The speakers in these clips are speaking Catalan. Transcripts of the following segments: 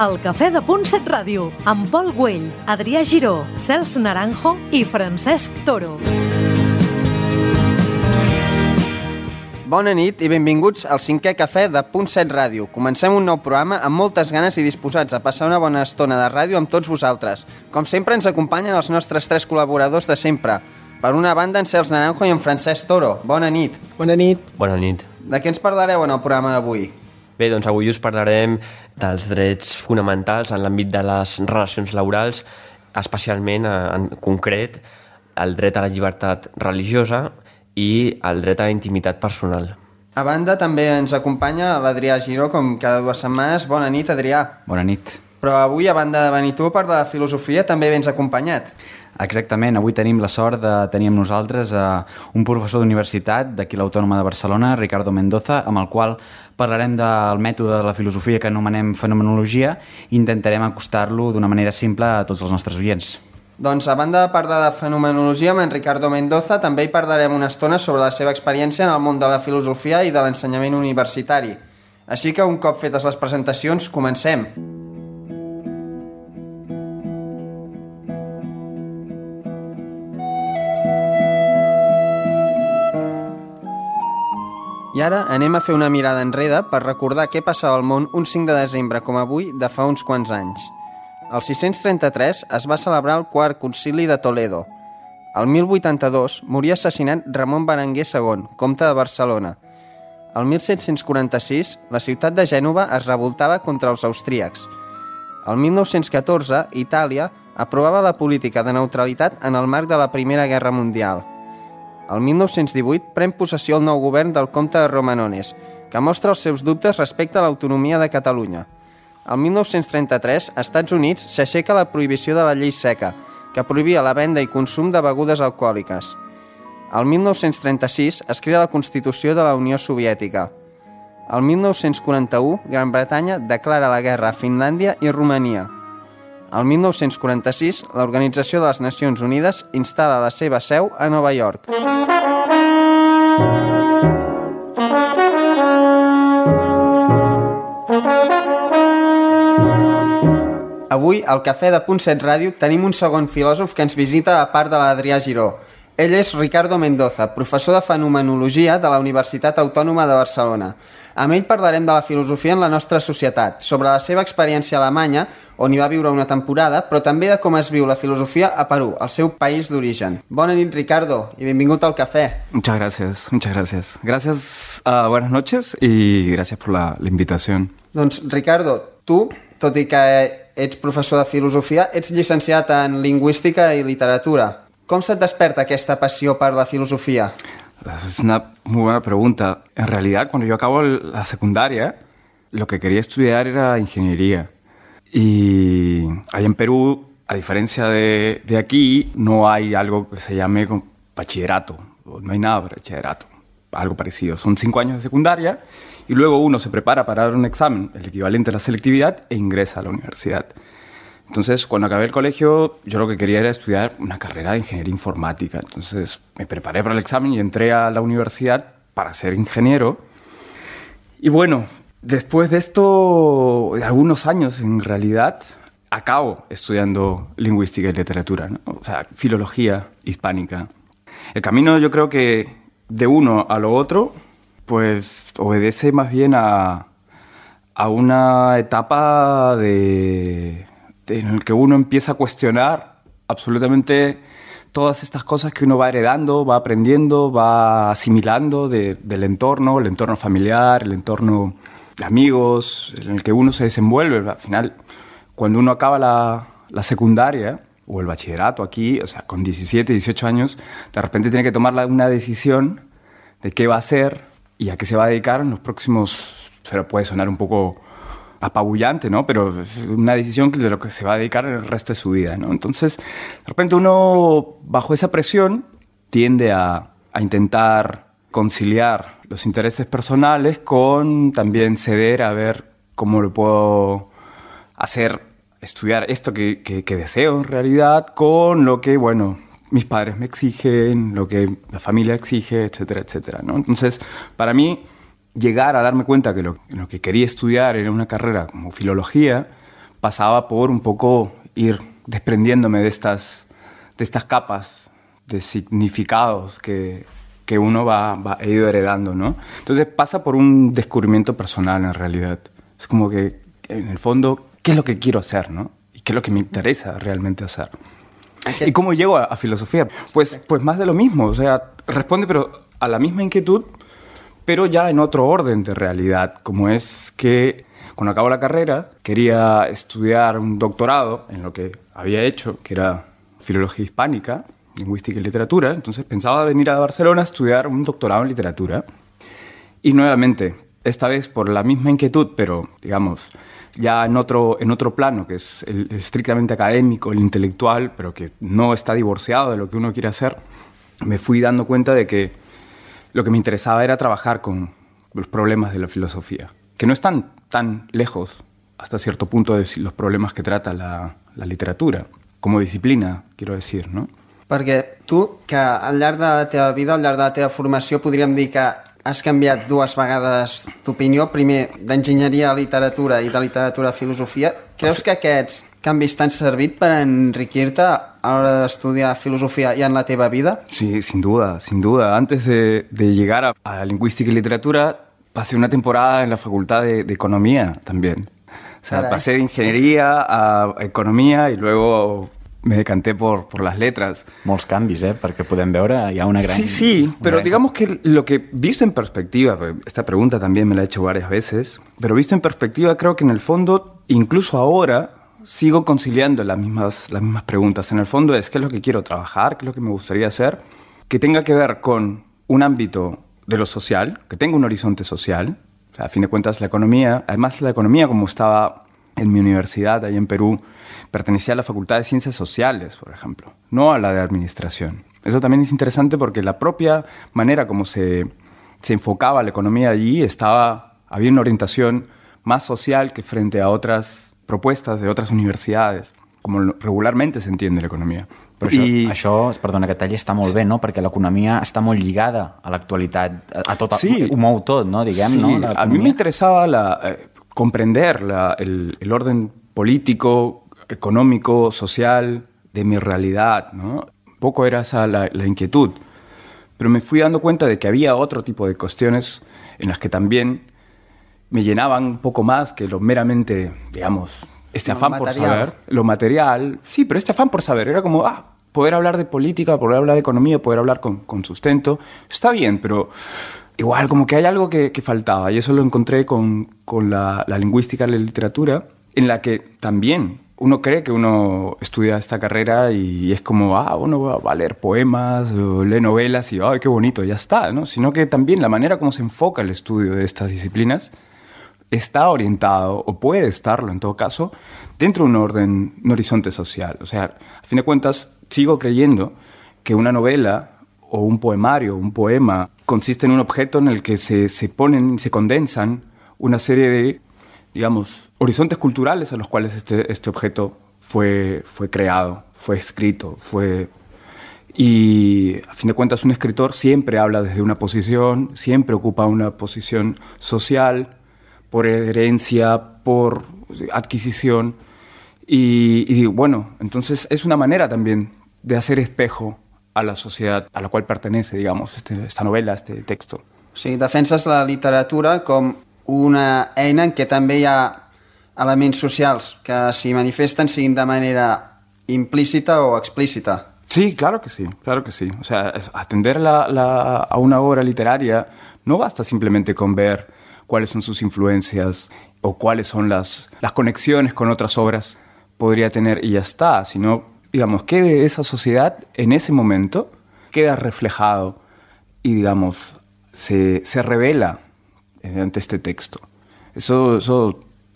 El Cafè de Punt 7 Ràdio, amb Pol Güell, Adrià Giró, Cels Naranjo i Francesc Toro. Bona nit i benvinguts al 5è Cafè de Punt 7 Ràdio. Comencem un nou programa amb moltes ganes i disposats a passar una bona estona de ràdio amb tots vosaltres. Com sempre ens acompanyen els nostres 3 col·laboradors de sempre. Per una banda, en Cels Naranjo i en Francesc Toro. Bona nit. Bona nit. Bona nit. De què ens parlareu en el programa d'avui? Bé, doncs avui us parlarem dels drets fonamentals en l'àmbit de les relacions laborals, especialment, en concret, el dret a la llibertat religiosa i el dret a la intimitat personal. A banda, també ens acompanya l'Adrià Giró, com cada 2 setmanes. Bona nit, Adrià. Bona nit. Però avui, a banda de venir tu a parlar de filosofia, també vens acompanyat. Exactament, avui tenim la sort de tenir amb nosaltres un professor d'universitat d'aquí l'Autònoma de Barcelona, Ricardo Mendoza, amb el qual parlarem del mètode de la filosofia que anomenem fenomenologia i intentarem acostar-lo d'una manera simple a tots els nostres oients. Doncs, a banda de parlar de fenomenologia, amb en Ricardo Mendoza també hi parlarem una estona sobre la seva experiència en el món de la filosofia i de l'ensenyament universitari. Així que, un cop fetes les presentacions, comencem. I ara anem a fer una mirada enrere per recordar què passava al món un 5 de desembre com avui de fa uns quants anys. El 633 es va celebrar el quart concili de Toledo. El 1082 moria assassinat Ramon Berenguer II, comte de Barcelona. El 1746 la ciutat de Gènova es revoltava contra els austríacs. El 1914 Itàlia aprovava la política de neutralitat en el marc de la Primera Guerra Mundial. El 1918 pren possessió el nou govern del comte de Romanones, que mostra els seus dubtes respecte a l'autonomia de Catalunya. El 1933, als Estats Units, s'aixeca la prohibició de la llei seca, que prohibia la venda i consum de begudes alcohòliques. El 1936 es crea la Constitució de la Unió Soviètica. El 1941, Gran Bretanya declara la guerra a Finlàndia i Romania. El 1946, l'Organització de les Nacions Unides instal·la la seva seu a Nova York. Avui, al Cafè de Punt 7 Ràdio, tenim un segon filòsof que ens visita a part de l'Adrià Giró. Ell és Ricardo Mendoza, professor de fenomenologia de la Universitat Autònoma de Barcelona. Amb ell parlarem de la filosofia en la nostra societat, sobre la seva experiència a Alemanya, on hi va viure una temporada, però també de com es viu la filosofia a Perú, el seu país d'origen. Bona nit, Ricardo, i benvingut al cafè. Muchas gracias, muchas gracias. Gracias, buenas noches y gracias por la invitación. Doncs, Ricardo, tu, tot i que ets professor de filosofia, ets llicenciat en lingüística i literatura. ¿Cómo se desperta aquesta passió per la filosofía? Es una muy buena pregunta. En realidad, cuando yo acabo la secundaria, lo que quería estudiar era ingeniería. Y allá en Perú, a diferencia de aquí, no hay algo que se llame bachillerato. No hay nada para bachillerato, algo parecido. Son 5 años de secundaria y luego uno se prepara para dar un examen, el equivalente a la selectividad, e ingresa a la universidad. Entonces, cuando acabé el colegio, yo lo que quería era estudiar una carrera de ingeniería informática. Entonces, me preparé para el examen y entré a la universidad para ser ingeniero. Y bueno, después de esto, de algunos años, en realidad, acabo estudiando lingüística y literatura, ¿no? O sea, filología hispánica. El camino, yo creo que de uno a lo otro, pues obedece más bien a una etapa en el que uno empieza a cuestionar absolutamente todas estas cosas que uno va heredando, va aprendiendo, va asimilando del entorno, el entorno familiar, el entorno de amigos, en el que uno se desenvuelve. Al final, cuando uno acaba la secundaria o el bachillerato aquí, o sea, con 17, 18 años, de repente tiene que tomar una decisión de qué va a hacer y a qué se va a dedicar en los próximos... Pero puede sonar un poco apabullante, ¿no? Pero es una decisión de lo que se va a dedicar el resto de su vida, ¿no? Entonces, de repente uno, bajo esa presión, tiende a intentar conciliar los intereses personales con también ceder a ver cómo lo puedo hacer, estudiar esto que deseo en realidad, con lo que, bueno, mis padres me exigen, lo que la familia exige, etcétera, etcétera, ¿no? Entonces, para mí, llegar a darme cuenta que lo que quería estudiar era una carrera como filología, pasaba por un poco ir desprendiéndome de estas capas de significados que uno ha ido heredando, ¿no? Entonces pasa por un descubrimiento personal en realidad. Es como que, en el fondo, ¿qué es lo que quiero hacer, no? ¿Y qué es lo que me interesa realmente hacer? ¿Y cómo llego a filosofía? Pues más de lo mismo, o sea, responde pero a la misma inquietud, pero ya en otro orden de realidad, como es que cuando acabo la carrera quería estudiar un doctorado en lo que había hecho, que era filología hispánica, lingüística y literatura, entonces pensaba venir a Barcelona a estudiar un doctorado en literatura. Y nuevamente, esta vez por la misma inquietud, pero digamos, ya en otro plano, que es el estrictamente académico, el intelectual, pero que no está divorciado de lo que uno quiere hacer, me fui dando cuenta de que lo que me interesaba era trabajar con los problemas de la filosofía, que no están tan lejos hasta cierto punto de los problemas que trata la literatura, como disciplina, quiero decir, no? Perquè tu, que al llarg de la teva vida, al llarg de la teva formació, podríem dir que has canviat 2 vegades d'opinió, primer d'enginyeria a literatura i de literatura a filosofia. Creus que aquests canvis t'han servit per enriquir-te a l'hora d'estudiar filosofia i en la teva vida? Sí, sin duda, sin duda. Antes de llegar a lingüística y literatura, pasé una temporada en la facultad de economía también. O sea, pasé de ingeniería a economía y luego me decanté por las letras. Molts canvis, perquè podem veure, hi ha una gran... Sí, pero digamos que lo que visto en perspectiva, esta pregunta también me la he hecho varias veces, pero visto en perspectiva creo que en el fondo, incluso ahora, sigo conciliando las mismas preguntas. En el fondo es qué es lo que quiero trabajar, qué es lo que me gustaría hacer, que tenga que ver con un ámbito de lo social, que tenga un horizonte social. O sea, a fin de cuentas la economía, además la economía como estaba en mi universidad, ahí en Perú, pertenecía a la Facultad de Ciencias Sociales, por ejemplo, no a la de Administración. Eso también es interesante porque la propia manera como se enfocaba la economía allí había una orientación más social que frente a otras propuestas de otras universidades, como regularmente se entiende la economía. Però això, perdona que talli, està molt bé, no? Perquè l'economia està molt lligada a l'actualitat, a tot, sí, ho mou tot, no? Diguem, sí, no? A mí me interesaba comprender el orden político, económico, social de mi realidad, ¿no? Un poco era esa la inquietud. Pero me fui dando cuenta de que había otro tipo de cuestiones en las que también me llenaban un poco más que lo meramente, digamos, este afán por saber. Lo material, sí, pero este afán por saber. Era como, poder hablar de política, poder hablar de economía, poder hablar con sustento. Está bien, pero igual como que hay algo que faltaba. Y eso lo encontré con la lingüística y la literatura, en la que también uno cree que uno estudia esta carrera y es como, uno va a leer poemas o lee novelas y, ¡ay, qué bonito! Ya está, ¿no? Sino que también la manera como se enfoca el estudio de estas disciplinas está orientado, o puede estarlo en todo caso, dentro de un horizonte social. O sea, a fin de cuentas, sigo creyendo que una novela o un poemario, un poema, consiste en un objeto en el que se condensan una serie de, digamos, horizontes culturales a los cuales este objeto fue creado, fue escrito, Y a fin de cuentas un escritor siempre habla desde una posición, siempre ocupa una posición social, por herencia, por adquisición. Y bueno, entonces es una manera también de hacer espejo a la sociedad a la qual pertenece, digamos, esta novela, este texto. O sigui, defenses la literatura com una eina en què també hi ha elements socials que s'hi manifesten, siguin de manera implícita o explícita. Sí, claro que sí, claro que sí. O sea, atender a una obra literaria no basta simplemente con ver cuáles son sus influencias o cuáles son las conexiones con otras obras podría tener y ya está, sino, digamos, que de esa sociedad en ese momento queda reflejado y, digamos, se revela ante este texto. Eso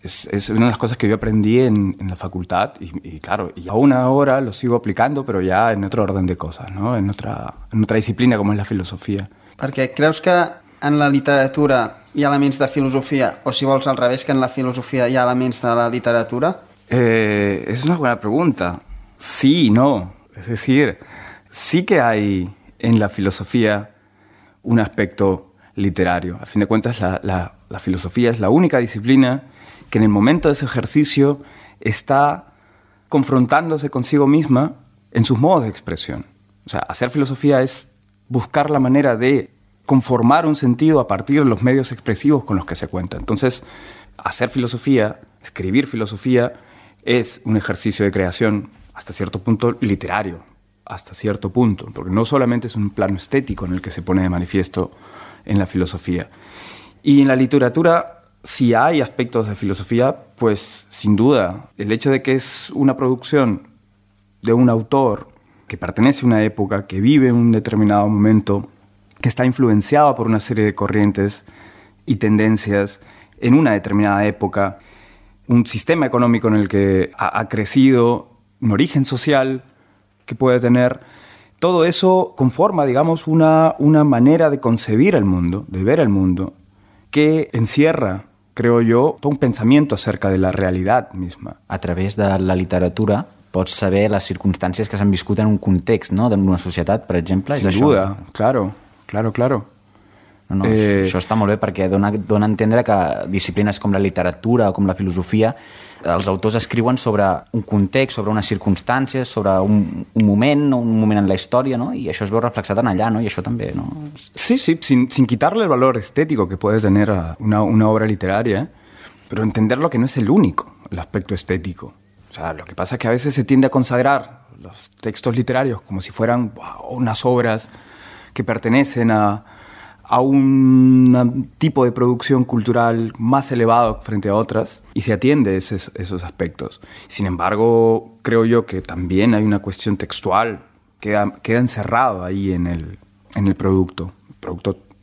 es una de las cosas que yo aprendí en la facultad y claro, y aún ahora lo sigo aplicando, pero ya en otro orden de cosas, ¿no? En otra disciplina como es la filosofía. Perquè creus que en la literatura hi ha elements de filosofia, o si vols al revés, que en la filosofia hi ha elements de la literatura? Es una buena pregunta. Sí y no. Es decir, sí que hay en la filosofía un aspecto literario. A fin de cuentas, la filosofía es la única disciplina que en el momento de ese ejercicio está confrontándose consigo misma en sus modos de expresión. O sea, hacer filosofía es buscar la manera de conformar un sentido a partir de los medios expresivos con los que se cuenta. Entonces, hacer filosofía, escribir filosofía, es un ejercicio de creación hasta cierto punto literario, hasta cierto punto, porque no solamente es un plano estético en el que se pone de manifiesto en la filosofía. Y en la literatura, si hay aspectos de filosofía, pues sin duda, el hecho de que es una producción de un autor que pertenece a una época, que vive en un determinado momento, que está influenciado por una serie de corrientes y tendencias en una determinada época, un sistema económico en el que ha crecido, un origen social que puede tener, todo eso conforma, digamos, una manera de concebir el mundo, de ver el mundo, que encierra, creo jo, tot un pensamiento acerca de la realitat misma. A través de la literatura pots saber les circumstàncies que s'han viscut en un context, no?, d'una societat, per exemple. Sin duda, claro. No, això està molt bé perquè dona a entendre que disciplines com la literatura o com la filosofia, els autors escriuen sobre un context, sobre unes circumstàncies, sobre un moment en la història, no? I això es veu reflexat en allà, no? I això també, no? Sí, sin quitarle el valor estético que puede tener a una obra literaria, pero entender lo que no es el único, el aspecto estético. O sea, lo que pasa es que a veces se tiende a consagrar los textos literarios como si fueran unas obras que pertenecen a un tipo de producción cultural más elevado frente a otras y se atiende esos aspectos. Sin embargo, creo yo que también hay una cuestión textual que queda encerrado ahí en el producto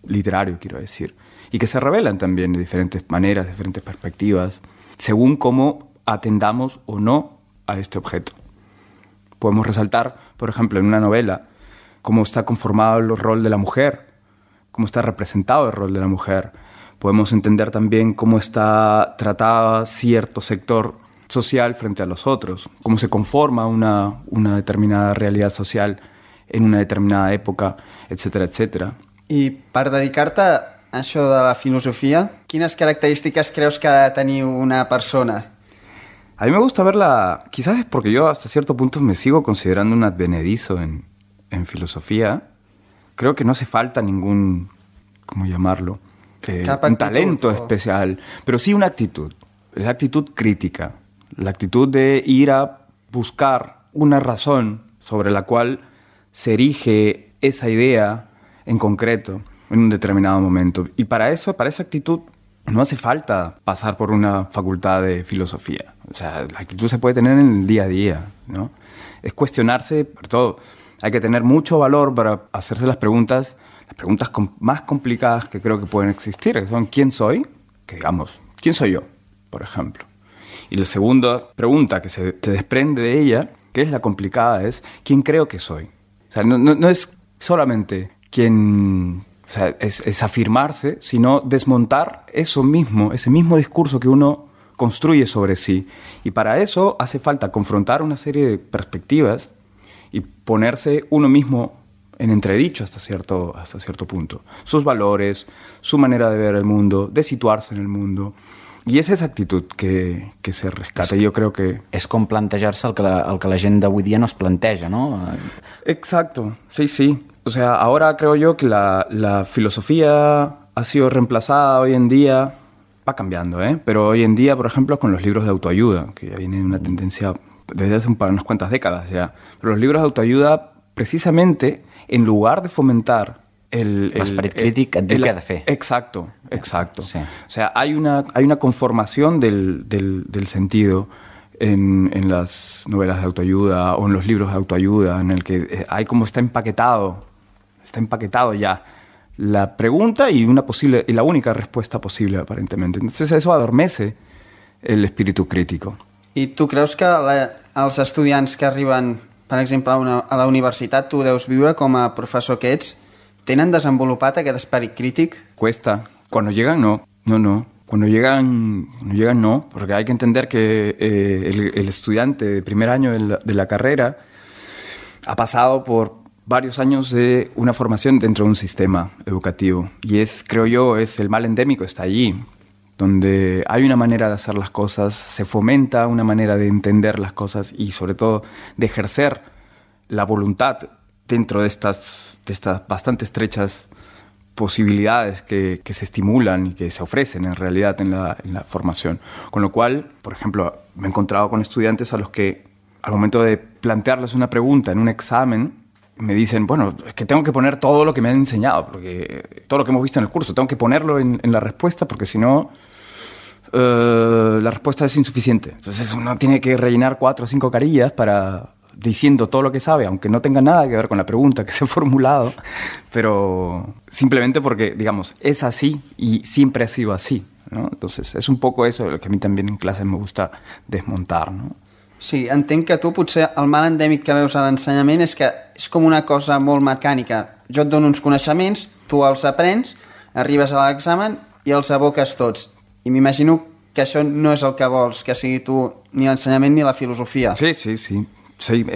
literario, quiero decir, y que se revelan también de diferentes maneras, diferentes perspectivas, según cómo atendamos o no a este objeto. Podemos resaltar, por ejemplo, en una novela, cómo está conformado el rol de la mujer, cómo está representado el rol de la mujer. Podemos entender también cómo está tratada cierto sector social frente a los otros, cómo se conforma una determinada realidad social en una determinada època, etcétera, etcétera. I per dedicar-te a això de la filosofia, quines característiques creus que ha de tenir una persona? A mí me gusta verla, quizás es porque yo hasta cierto punto me sigo considerando un advenedizo en filosofía. Creo que no hace falta ningún, ¿cómo llamarlo? Un talento especial, pero sí una actitud. La actitud crítica, la actitud de ir a buscar una razón sobre la cual se erige esa idea en concreto en un determinado momento. Y para esa actitud no hace falta pasar por una facultad de filosofía. O sea, la actitud se puede tener en el día a día, ¿no? Es cuestionarse por todo. Hay que tener mucho valor para hacerse las preguntas más complicadas que creo que pueden existir, que son ¿quién soy? Que digamos, ¿quién soy yo? Por ejemplo. Y la segunda pregunta que se desprende de ella, que es la complicada, es ¿quién creo que soy? O sea, no es solamente quién... O sea, es afirmarse, sino desmontar ese mismo discurso que uno construye sobre sí. Y para eso hace falta confrontar una serie de perspectivas y ponerse uno mismo en entredicho hasta cierto punto. Sus valores, su manera de ver el mundo, de situarse en el mundo. I és esa actitud que se rescata. Jo crec que... És com plantejar-se el que la gent d'avui dia no es planteja, ¿no? Exacto, sí. O sea, ahora creo yo que la filosofía ha sido reemplazada hoy en día, va cambiando, pero hoy en día, por ejemplo, con los libros de autoayuda, que ya viene una tendencia desde hace unas cuantas décadas ya. Pero los libros de autoayuda, precisamente, en lugar de fomentar l'esperit crític et diu què ha de fer. Exacto. Sí. O sea, hay una conformación del sentido en las novelas de autoayuda o en los libros de autoayuda, en el que hay como está empaquetado ya la pregunta y la única respuesta posible, aparentemente. Entonces eso adormece el espíritu crítico. I tu creus que els estudiants que arriben, per exemple, a la universitat, tu deus viure com a professor que ets, tenen desenvolupat aquest esperit crític? Cuesta. Cuando llegan, no. Cuando llegan no, porque hay que entender que el estudiante de primer año de la carrera ha pasado por varios años de una formación dentro de un sistema educativo. Y creo yo, es el mal endémico, está allí. donde hay una manera de hacer las cosas, se fomenta una manera de entender las cosas y sobre todo de ejercer la voluntad dentro de estas bastante estrechas posibilidades que se estimulan y que se ofrecen en realidad en la formación. Con lo cual, por ejemplo, me he encontrado con estudiantes a los que al momento de plantearles una pregunta en un examen me dicen, bueno, es que tengo que poner todo lo que me han enseñado, porque todo lo que hemos visto en el curso, tengo que ponerlo en la respuesta porque si no, la respuesta es insuficiente. Entonces uno tiene que rellenar 4 o 5 carillas diciendo todo lo que sabe, aunque no tenga nada que ver con la pregunta que se ha formulado, pero simplemente porque, digamos, es así y siempre ha sido así, ¿no? Entonces és un poco eso lo que a mi també en classes me gusta desmuntar, no? Sí, entenc que tu potser el mal endèmic que veus a l'ensenyament és que és com una cosa molt mecànica. Jo et dono uns coneixements, tu els aprens, arribes a l'examen i els aboques tots. I m'imagino que això no és el que vols, que sigui tu ni l'ensenyament ni la filosofia. Sí. Sí,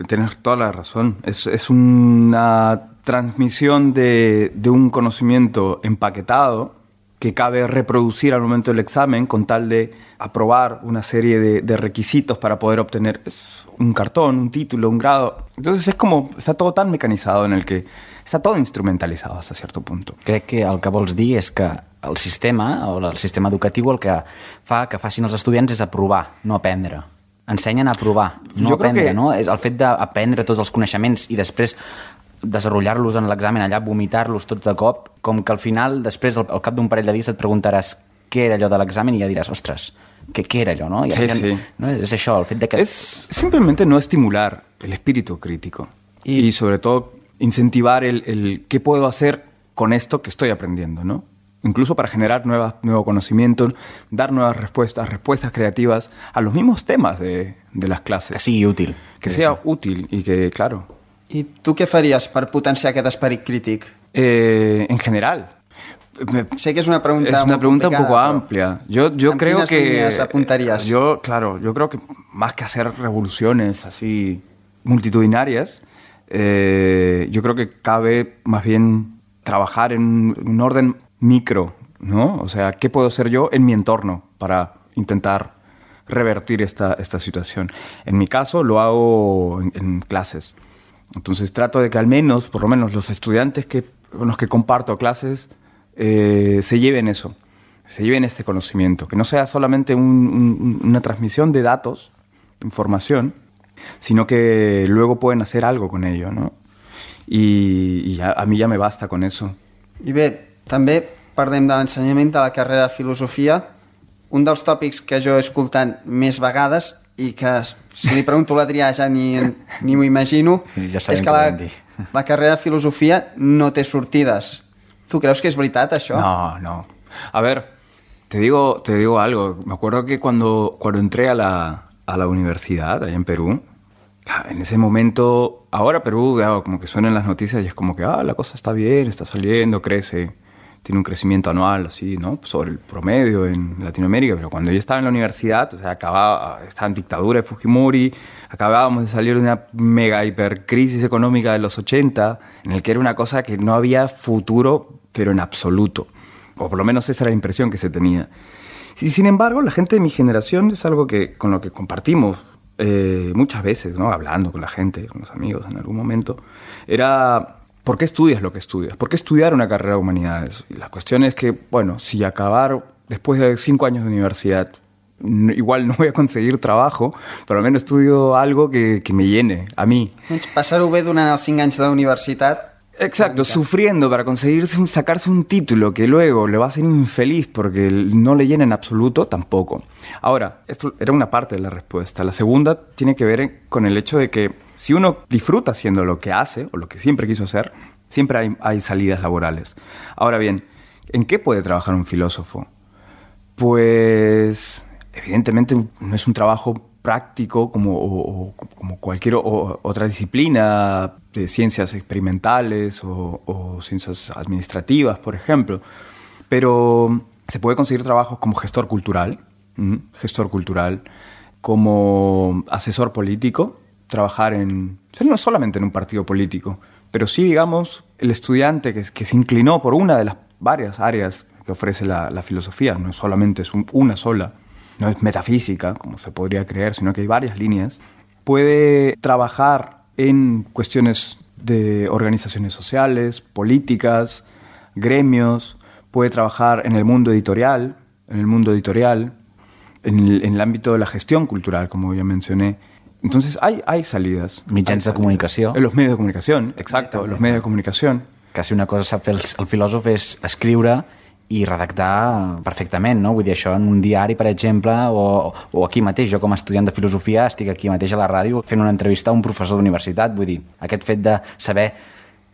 tienes toda la razón. Es una transmisión de un conocimiento empaquetado que cabe reproducir al momento del examen con tal de aprobar una serie de requisitos para poder obtener un cartón, un título, un grado. Entonces es como, está todo tan mecanizado en el que está todo instrumentalizado hasta cierto punto. Crec que el que vols dir és que el sistema, o el sistema educatiu, el que fa que facin els estudiants és aprovar, no aprendre. Ensenyen a provar, no aprendre, no? És el fet d'aprendre tots els coneixements i després desenvolupar-los en l'examen allà, vomitar-los tots de cop, com que al final, després, al cap d'un parell de dies et preguntaràs què era allò de l'examen i ja diràs, ostres, què era allò, no? Sí. ¿No? És això, el fet de que... Es simplemente no estimular el espíritu crítico y sobre todo incentivar el qué puedo hacer con esto que estoy aprendiendo, ¿no? Incluso para generar nuevo conocimiento, dar nuevas respuestas creativas a los mismos temas de las clases. Que sigui útil. Que sea útil y que, claro... I tu què faries per potenciar aquest esperit crític? En general. Sé que es una pregunta un poco amplia. Yo creo que... apuntarías? Yo creo que más que hacer revoluciones así multitudinarias, yo creo que cabe más bien trabajar en un orden micro, ¿no? O sea, ¿qué puedo hacer yo en mi entorno para intentar revertir esta situación? En mi caso lo hago en clases. Entonces trato de que al menos, por lo menos los estudiantes con los que comparto clases se lleven eso, se lleven este conocimiento, que no sea solamente una transmisión de datos, de información, sino que luego pueden hacer algo con ello, ¿no? Y a mí ya me basta con eso. I bé, també parlem de l'ensenyament de la carrera de filosofia. Un dels tòpics que jo he escoltat més vegades i que si li pregunto a l'Adrià ja ni m'ho imagino, ja és que la carrera de filosofia no té sortides. ¿Tú crees que es verdad eso? No. A ver, te digo algo. Me acuerdo que cuando entré a la universidad allá en Perú, en ese momento, ahora Perú como que suena en las noticias y es como que la cosa está bien, está saliendo, crece, tiene un crecimiento anual así, ¿no? Sobre el promedio en Latinoamérica, pero cuando yo estaba en la universidad, o sea, estaba en dictadura de Fujimori, acabábamos de salir de una mega hipercrisis económica de los 80, en el que era una cosa que no había futuro, pero en absoluto. O por lo menos esa era la impresión que se tenía. Y sin embargo, la gente de mi generación es algo con lo que compartimos muchas veces, ¿no? Hablando con la gente, con los amigos en algún momento, era... ¿Por qué estudias lo que estudias? ¿Por qué estudiar una carrera de humanidades? Y la cuestión es que, bueno, si acabar después de 5 años de universidad, igual no voy a conseguir trabajo, pero al menos estudio algo que me llene, a mí. Passar-ho bé durant els 5 anys de la universitat. Exacto, sufriendo para sacarse un título que luego le va a hacer infeliz porque no le llena en absoluto, tampoco. Ahora, esto era una parte de la respuesta. La segunda tiene que ver con el hecho de que si uno disfruta haciendo lo que hace o lo que siempre quiso hacer, siempre hay salidas laborales. Ahora bien, ¿en qué puede trabajar un filósofo? Pues evidentemente no es un trabajo práctico como cualquier otra disciplina de ciencias experimentales o ciencias administrativas, por ejemplo. Pero se puede conseguir trabajos como gestor cultural, como asesor político, trabajar no solamente en un partido político, pero sí, digamos, el estudiante que se inclinó por una de las varias áreas que ofrece la filosofía. No solamente es una sola, no es metafísica, como se podría creer, sino que hay varias líneas. Puede trabajar en cuestiones de organizaciones sociales, políticas, gremios, puede trabajar en el mundo editorial, en el ámbito de la gestión cultural, como ya mencioné. Entonces hay salidas. Mitjans de comunicació. En los medios de comunicación, exacto, los medios de comunicación. Quasi una cosa sap fer el filòsof és escriure i redactar perfectament, no? Vull dir, això en un diari, per exemple, o aquí mateix. Jo, com a estudiant de filosofia, estic aquí mateix a la ràdio fent una entrevista a un professor d'universitat. Vull dir, aquest fet de saber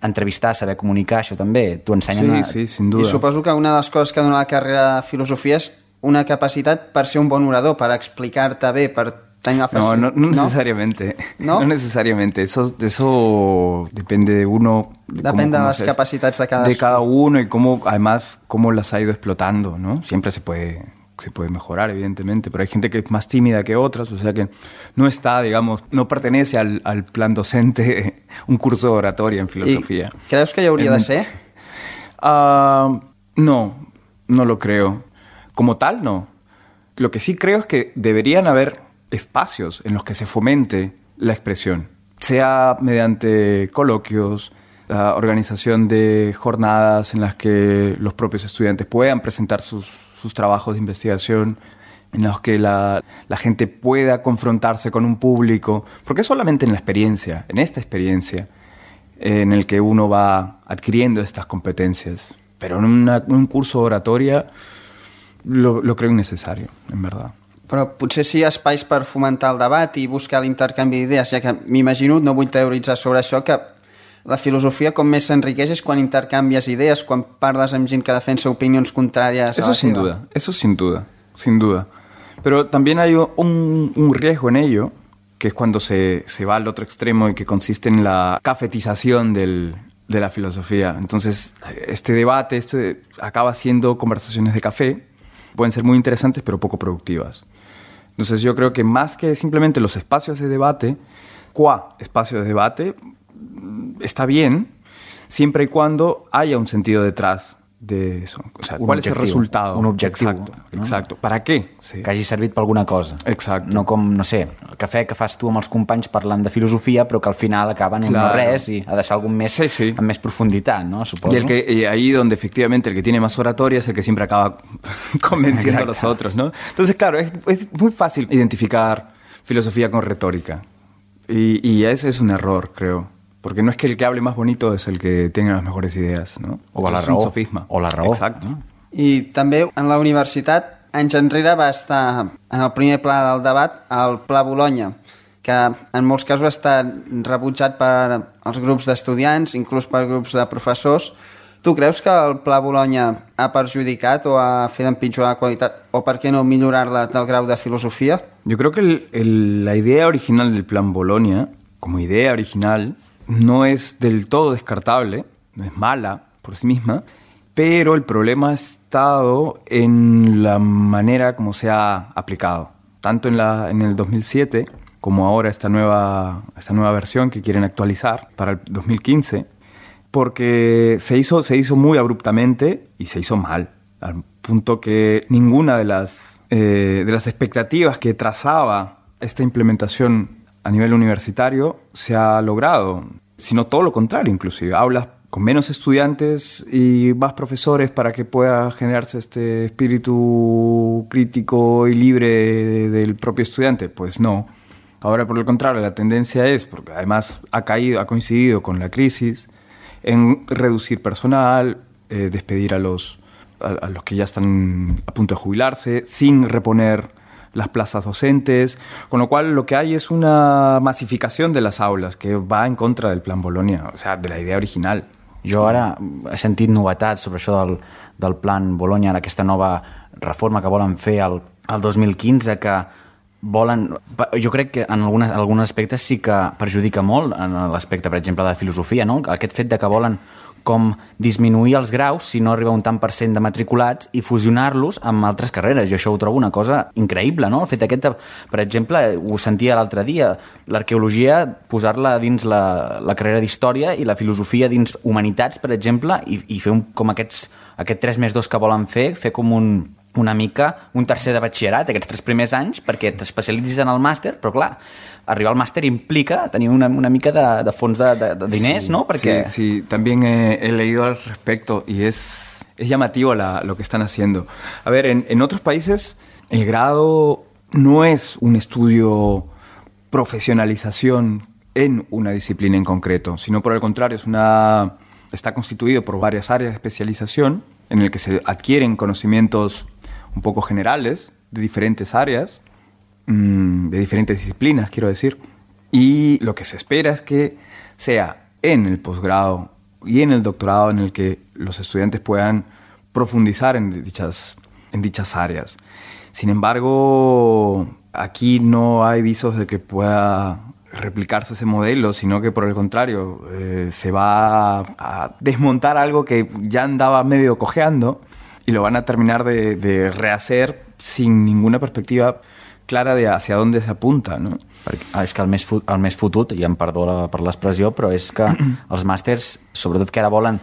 entrevistar, saber comunicar, això també t'ho ensenyen. Sí, sin duda. I suposo que una de les coses que dona la carrera de filosofia és una capacitat per ser un bon orador, per explicar-te bé, per tenir una frase. No necesariamente. ¿No? No necesariamente. Eso depende de uno. Depende de las capacidades de cada uno y además cómo las ha ido explotando, ¿no? Siempre se puede mejorar, evidentemente, pero hay gente que es más tímida que otras, o sea que no está, digamos, no pertenece al plan docente un curso de oratoria en filosofía. ¿Y crees que ya habría de ser? No lo creo. Como tal, no. Lo que sí creo es que deberían haber espacios en los que se fomente la expresión, sea mediante coloquios, organización de jornadas en las que los propios estudiantes puedan presentar sus trabajos de investigación, en los que la gente pueda confrontarse con un público, porque es solamente en esta experiencia, en el que uno va adquiriendo estas competencias. Pero en un curso de oratoria lo creo innecesario, en verdad. Però potser sí espais per fomentar el debat i buscar l'intercanvi d'idees, ja que m'imagino, no vull teoritzar sobre això, que la filosofia com més s'enriqueix és quan intercanvies idees, quan parles amb gent que defensa opinions contràries a la seva. Eso sin duda. Pero también hay un riesgo en ello, que es cuando se va al otro extremo y que consiste en la cafetización de la filosofía. Entonces, este debate acaba siendo conversaciones de café, pueden ser muy interesantes pero poco productivas. Entonces yo creo que más que simplemente los espacios de debate, espacios de debate, está bien siempre y cuando haya un sentido detrás de eso. O sea, ¿cuál es el resultado? Un objectiu. Exacto. ¿Para qué? Sí. Que hagi servit per alguna cosa. Exacto. No com, no sé, el cafè que fas tu amb els companys parlant de filosofia, però que al final acaba en un no res i ha de ser algo més, amb més profunditat, ¿no? Suposo. Y ahí donde efectivamente el que tiene más oratoria es el que siempre acaba convenciendo a los otros, ¿no? Entonces, claro, es muy fácil identificar filosofía con retórica. Y ese es un error, creo. Porque no es que el que hable más bonito es el que tenga las mejores idees, no? O la raó. Un sofisma. O la raó. Exacte. No? I també en la universitat, anys enrere, va estar en el primer pla del debat el Pla Bologna, que en molts casos ha estat rebutjat per els grups d'estudiants, inclús per grups de professors. Tu creus que el Pla Bologna ha perjudicat o ha fet empitjorar la qualitat, o per què no millorar-la del grau de filosofia? Yo creo que la idea original del Plan Bologna, como idea original, no es del todo descartable, no es mala por sí misma, pero el problema ha estado en la manera como se ha aplicado. Tanto en el 2007 como ahora esta nueva versión que quieren actualizar para el 2015, porque se hizo muy abruptamente y se hizo mal, al punto que ninguna de las expectativas que trazaba esta implementación a nivel universitario se ha logrado, sino todo lo contrario inclusive. Aulas con menos estudiantes y más profesores para que pueda generarse este espíritu crítico y libre del propio estudiante. Pues no. Ahora, por el contrario, la tendencia es, porque además ha coincidido con la crisis, en reducir personal, despedir a los que ya están a punto de jubilarse, sin reponer las plazas docentes, con lo cual lo que hay es una masificación de las aules que va en contra del Plan Bologna, o sea, de la idea original. Jo ara he sentit novetats sobre això del Plan Bologna, aquesta nova reforma que volen fer el 2015, que volen... Jo crec que en alguns aspectes sí que perjudica molt en l'aspecte, per exemple, de filosofia, no? Aquest fet de que volen com disminuir els graus si no arriba un tant % de matriculats i fusionar-los amb altres carreres. Jo això ho trobo una cosa increïble, no? El fet aquest, per exemple, ho sentia l'altre dia, l'arqueologia, posar-la dins la carrera d'història i la filosofia dins humanitats, per exemple, i fer com aquest 3+2 que volen fer com una mica un tercer de batxillerat, aquests 3 primers anys, perquè t'especialitzis en el màster, però clar, arribar al màster implica tenir una mica de fons de diners, sí, ¿no? Porque... Sí, también he leído al respecto y es llamativo lo que están haciendo. A ver, en otros países el grado no es un estudio profesionalización en una disciplina en concreto, sino por el contrario, está constituido por varias áreas de especialización en el que se adquieren conocimientos un poco generales de diferentes áreas, de diferentes disciplinas, quiero decir. Y lo que se espera es que sea en el posgrado y en el doctorado en el que los estudiantes puedan profundizar en dichas áreas. Sin embargo, aquí no hay visos de que pueda replicarse ese modelo, sino que por el contrario se va a desmontar algo que ya andaba medio cojeando y lo van a terminar de rehacer sin ninguna perspectiva clara de hacia dónde se apunta, no? És que el més fotut, i em perdó per l'expressió, però és que els màsters, sobretot que ara volen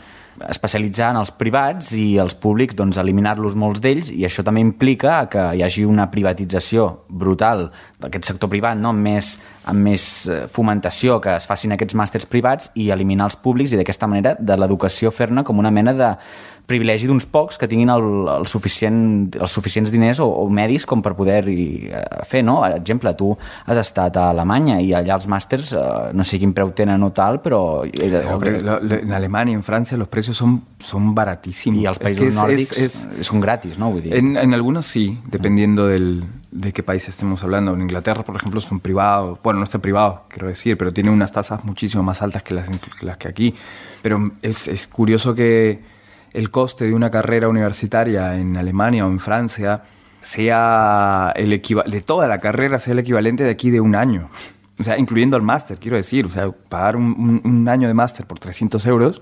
especialitzar en els privats i els públics, doncs eliminar-los molts d'ells, i això també implica que hi hagi una privatització brutal d'aquest sector privat, no? amb més fomentació que es facin aquests màsters privats i eliminar els públics, i d'aquesta manera de l'educació fer-ne com una mena de privilegi d'uns pocs que tinguin els suficients diners o medis com per poder-hi fer, no? Per exemple, tu has estat a Alemanya i allà els màsters, no sé quin preu tenen o tal, però... En Alemania y en Francia los precios son baratísimos. Y los países nórdicos son gratis, ¿no? En algunos sí, dependiendo de qué país estemos hablando. En Inglaterra, por ejemplo, son privados. Bueno, no están privados, quiero decir, pero tienen unas tasas muchísimo más altas que las que aquí. Pero es curioso que el coste de una carrera universitaria en Alemania o en Francia sea de toda la carrera sea el equivalente de aquí de un año. O sea, incluyendo el máster, quiero decir. O sea, pagar un año de máster por 300 euros,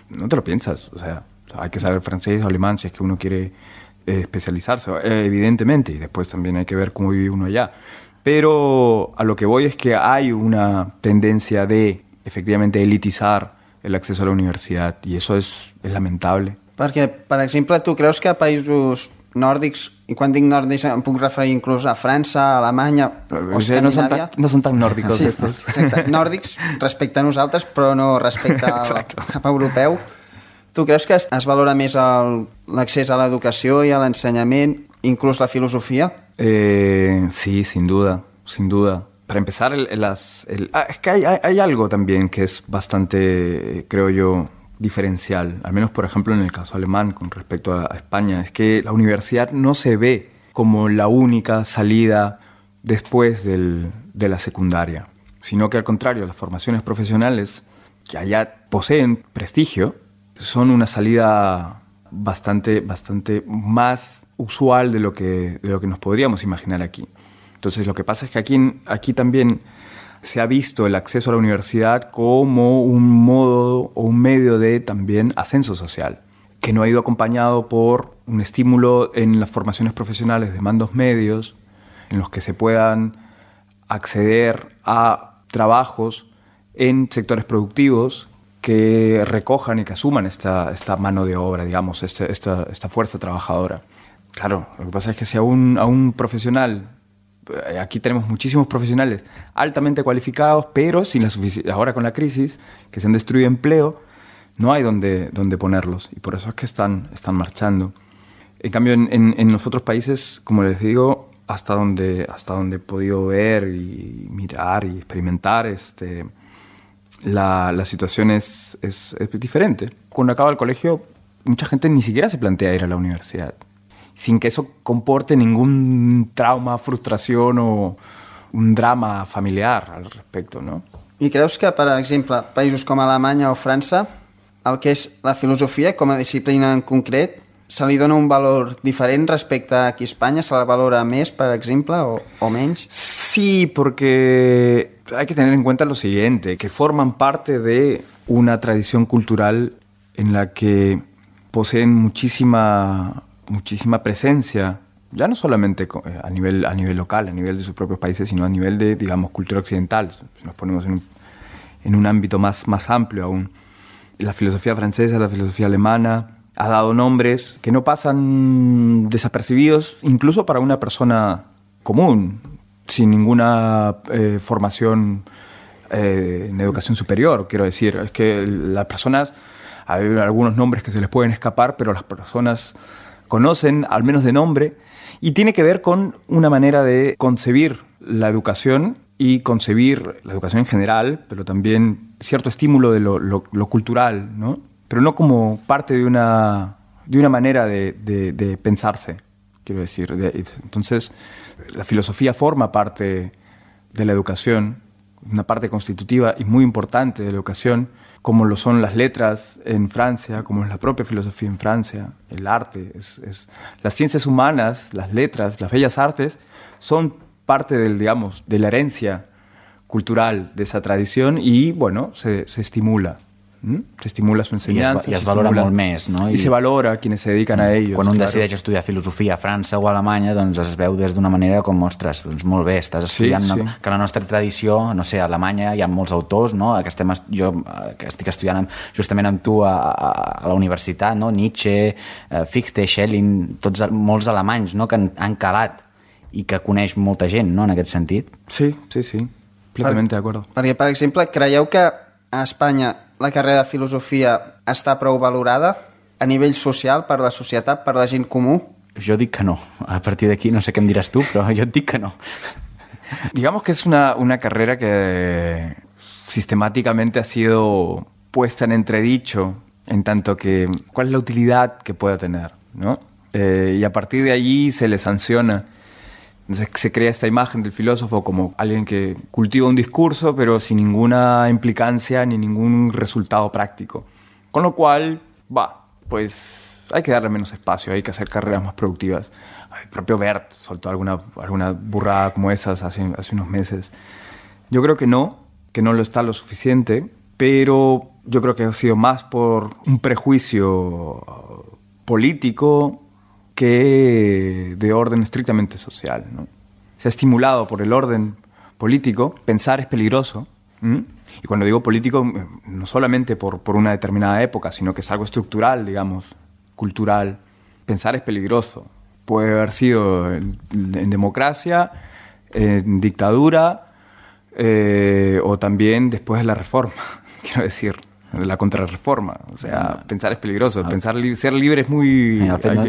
no te lo piensas. O sea, hay que saber francés o alemán si es que uno quiere especializarse, evidentemente. Y después también hay que ver cómo vive uno allá. Pero a lo que voy es que hay una tendencia de, efectivamente, elitizar el acceso a la universitat, i això és lamentable. Perquè, per exemple, tu creus que a països nòrdics, i quan dic nòrdics em puc referir inclús a França, a Alemanya o Escandinàvia... No són tan nòrdicos sí, estos. Exacte. Nòrdics respecte a nosaltres, però no respecte al europeu. Tu creus que es valora més l'accés a l'educació i a l'ensenyament, inclús la filosofia? Sí, sin duda. Para empezar, es que hay algo también que es bastante, creo yo, diferencial, al menos, por ejemplo, en el caso alemán con respecto a España, es que la universidad no se ve como la única salida después de la secundaria, sino que al contrario, las formaciones profesionales que allá poseen prestigio son una salida bastante más usual de lo que nos podríamos imaginar aquí. Entonces, lo que pasa es que aquí también se ha visto el acceso a la universidad como un modo o un medio de también ascenso social, que no ha ido acompañado por un estímulo en las formaciones profesionales de mandos medios, en los que se puedan acceder a trabajos en sectores productivos que recojan y que asuman esta mano de obra, digamos, esta fuerza trabajadora. Claro, lo que pasa es que si a un profesional... Aquí tenemos muchísimos profesionales altamente cualificados, pero sin ahora con la crisis, que se han destruido empleo, no hay donde ponerlos. Y por eso es que están marchando. En cambio, en los otros países, como les digo, hasta donde he podido ver y mirar y experimentar, la situación es diferente. Cuando acaba el colegio, mucha gente ni siquiera se plantea ir a la universidad, sin que eso comporte ningún trauma, frustración o un drama familiar al respecto, no? I creus que, per exemple, països com Alemanya o França, el que és la filosofia com a disciplina en concret, se li dona un valor diferent respecte a aquí a Espanya? Se la valora més, per exemple, o menys? Sí, porque hay que tener en cuenta lo siguiente, que forman parte de una tradición cultural en la que poseen muchísima presencia, ya no solamente a nivel local, a nivel de sus propios países, sino a nivel de, digamos, cultura occidental. Si nos ponemos en un ámbito más amplio aún. La filosofía francesa, la filosofía alemana, ha dado nombres que no pasan desapercibidos, incluso para una persona común, sin ninguna formación en educación superior, quiero decir. Es que las personas, hay algunos nombres que se les pueden escapar, pero las personas conocen, al menos de nombre, y tiene que ver con una manera de concebir la educación y concebir la educación en general, pero también cierto estímulo de lo cultural, ¿no? Pero no como parte de una manera de pensarse, quiero decir. Entonces, la filosofía forma parte de la educación, una parte constitutiva y muy importante de la educación, como lo son las letras en Francia, como es la propia filosofía en Francia, el arte. Las ciencias humanas, las letras, las bellas artes, son parte de la herencia cultural de esa tradición y, bueno, se estimula. Se estimula su ensenyança. I es valora molt més, no? I se valora quienes se dedican a ellos. Quan un decideix estudiar filosofia a França o a Alemanya, doncs es veu des d'una manera com, ostres, doncs molt bé, estàs estudiant que la nostra tradició, no sé, a Alemanya hi ha molts autors, no? Jo que estic estudiant justament amb tu a la universitat, no? Nietzsche, Fichte, Schelling, molts alemanys, no? Que han calat i que coneix molta gent, no? En aquest sentit. Sí, plenamente d'acord. Perquè, per exemple, creieu que a Espanya la carrera de filosofia està prou valorada a nivell social, per la societat, per la gent comú? Jo dic que no. A partir d'aquí no sé què em diràs tu, però jo et dic que no. Digamos que es una carrera que sistemáticamente ha sido puesta en entredicho en tanto que cuál es la utilidad que pueda tener, ¿no? Y a partir de allí se le sanciona. Entonces se crea esta imagen del filósofo como alguien que cultiva un discurso pero sin ninguna implicancia ni ningún resultado práctico. Con lo cual, pues hay que darle menos espacio, hay que hacer carreras más productivas. El propio Bert soltó alguna burrada como esas hace unos meses. Yo creo que no lo está lo suficiente, pero yo creo que ha sido más por un prejuicio político que de orden estrictamente social, ¿no? Se ha estimulado por el orden político. Pensar es peligroso. Y cuando digo político, no solamente por una determinada época, sino que es algo estructural, digamos, cultural. Pensar es peligroso. Puede haber sido en democracia, en dictadura, o también después de la reforma, quiero decir, de la contrarreforma. O sea, pensar és peligroso. Ser libre és muy... El fet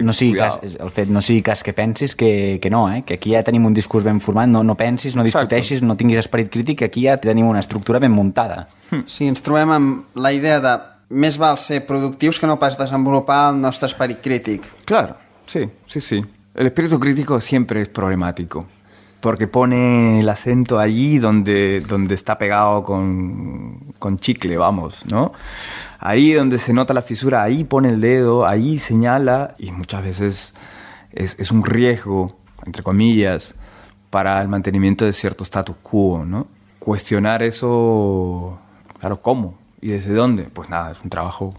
no sigui cas que pensis que no, que aquí ja tenim un discurs ben format, no pensis, no discuteixis, no tinguis esperit crític, que aquí ja tenim una estructura ben muntada. Sí, ens trobem amb la idea de més val ser productius que no pas desenvolupar el nostre esperit crític. Claro, sí. El espíritu crítico siempre es problemático, porque pone el acento allí donde está pegado con chicle, vamos, ¿no? Ahí donde se nota la fisura, ahí pone el dedo, ahí señala, y muchas veces es un riesgo, entre comillas, para el mantenimiento de cierto status quo, ¿no? Cuestionar eso, claro, ¿cómo? ¿Y desde dónde? Pues nada, es un trabajo,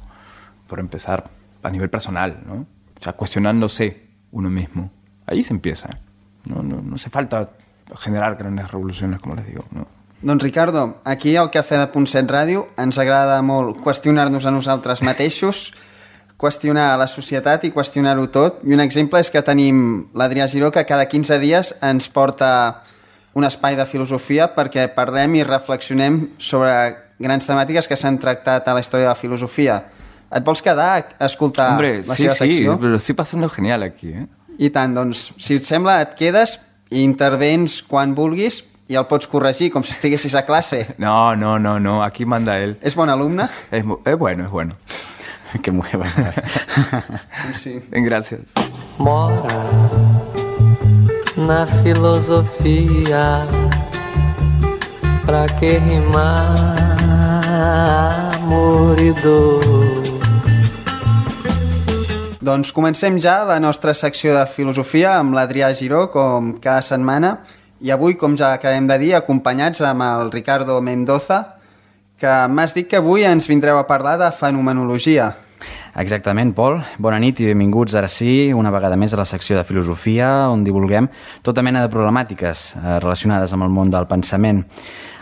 por empezar, a nivel personal, ¿no? O sea, cuestionándose uno mismo. Ahí se empieza. No hace falta generar grandes revoluciones, como les digo, no. Doncs Ricardo, aquí al Cafè de Punt 7 Ràdio ens agrada molt qüestionar-nos a nosaltres mateixos, qüestionar la societat i qüestionar-ho tot. I un exemple és que tenim l'Adrià Giró, que cada 15 dies ens porta un espai de filosofia perquè parlem i reflexionem sobre grans temàtiques que s'han tractat a la història de la filosofia. Et vols quedar a escoltar la seva secció? Hombre, sí, lo estoy pasando genial aquí, ¿eh? I tant, doncs, si et sembla, et quedes i intervens quan vulguis i el pots corregir, com si estiguessis a classe. No, aquí manda él. És bon alumne? Es bueno. Que muy bueno. Sí. Gracias. Mora na filosofia, pra que rimar amor e dor. Doncs comencem ja la nostra secció de filosofia amb l'Adrià Giró, com cada setmana, i avui, com ja acabem de dir, acompanyats amb el Ricardo Mendoza, que m'has dit que avui ens vindreu a parlar de fenomenologia. Exactament, Pol. Bona nit i benvinguts ara sí, una vegada més a la secció de filosofia, on divulguem tota mena de problemàtiques relacionades amb el món del pensament.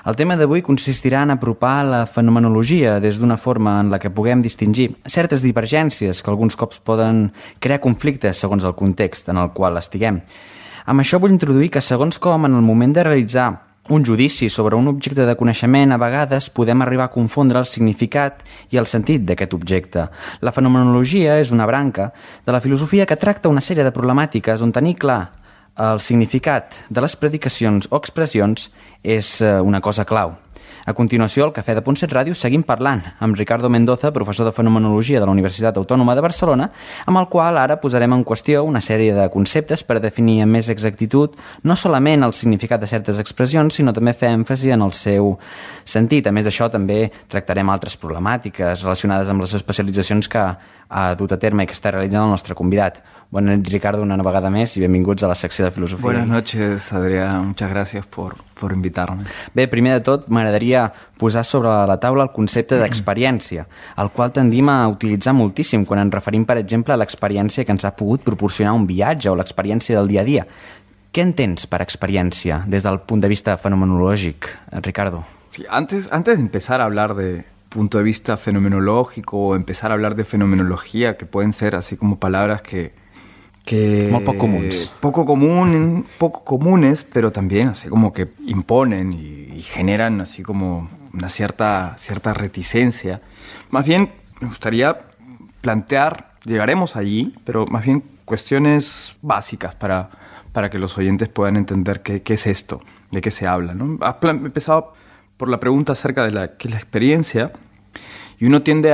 El tema d'avui consistirà en apropar la fenomenologia des d'una forma en la que puguem distingir certes divergències que alguns cops poden crear conflictes segons el context en el qual estiguem. Amb això vull introduir que segons com en el moment de realitzar un judici sobre un objecte de coneixement, a vegades podem arribar a confondre el significat i el sentit d'aquest objecte. La fenomenologia és una branca de la filosofia que tracta una sèrie de problemàtiques on tenir clar el significat de les predicacions o expressions és una cosa clau. A continuació, al Cafè de Pontset Ràdio seguim parlant amb Ricardo Mendoza, professor de Fenomenologia de la Universitat Autònoma de Barcelona, amb el qual ara posarem en qüestió una sèrie de conceptes per definir amb més exactitud no solament el significat de certes expressions, sinó també fer èmfasi en el seu sentit. A més d'això, també tractarem altres problemàtiques relacionades amb les especialitzacions que ha dut a terme i que està realitzant el nostre convidat. Bona nit, Ricardo, una vegada més i benvinguts a la secció de filosofia. Buenas noches, Adrián. Muchas gracias por invitarme. Bé, primer de tot, m'agradaria posar sobre la taula el concepte d'experiència, el qual tendim a utilitzar moltíssim quan ens referim, per exemple, a l'experiència que ens ha pogut proporcionar un viatge o l'experiència del dia a dia. Què entens per experiència des del punt de vista fenomenològic, Ricardo? Sí, antes de empezar a hablar de punto de vista fenomenológico o empezar a hablar de fenomenología, que pueden ser así como palabras que molt poc comuns. Poco comunes, pero también así como que imponen y generan así como una cierta reticencia. Más bien me gustaría plantear, llegaremos allí, pero más bien cuestiones básicas para que los oyentes puedan entender qué es esto, de qué se habla, ¿no? Has empezado por la pregunta acerca de qué es la experiencia. Y uno tiende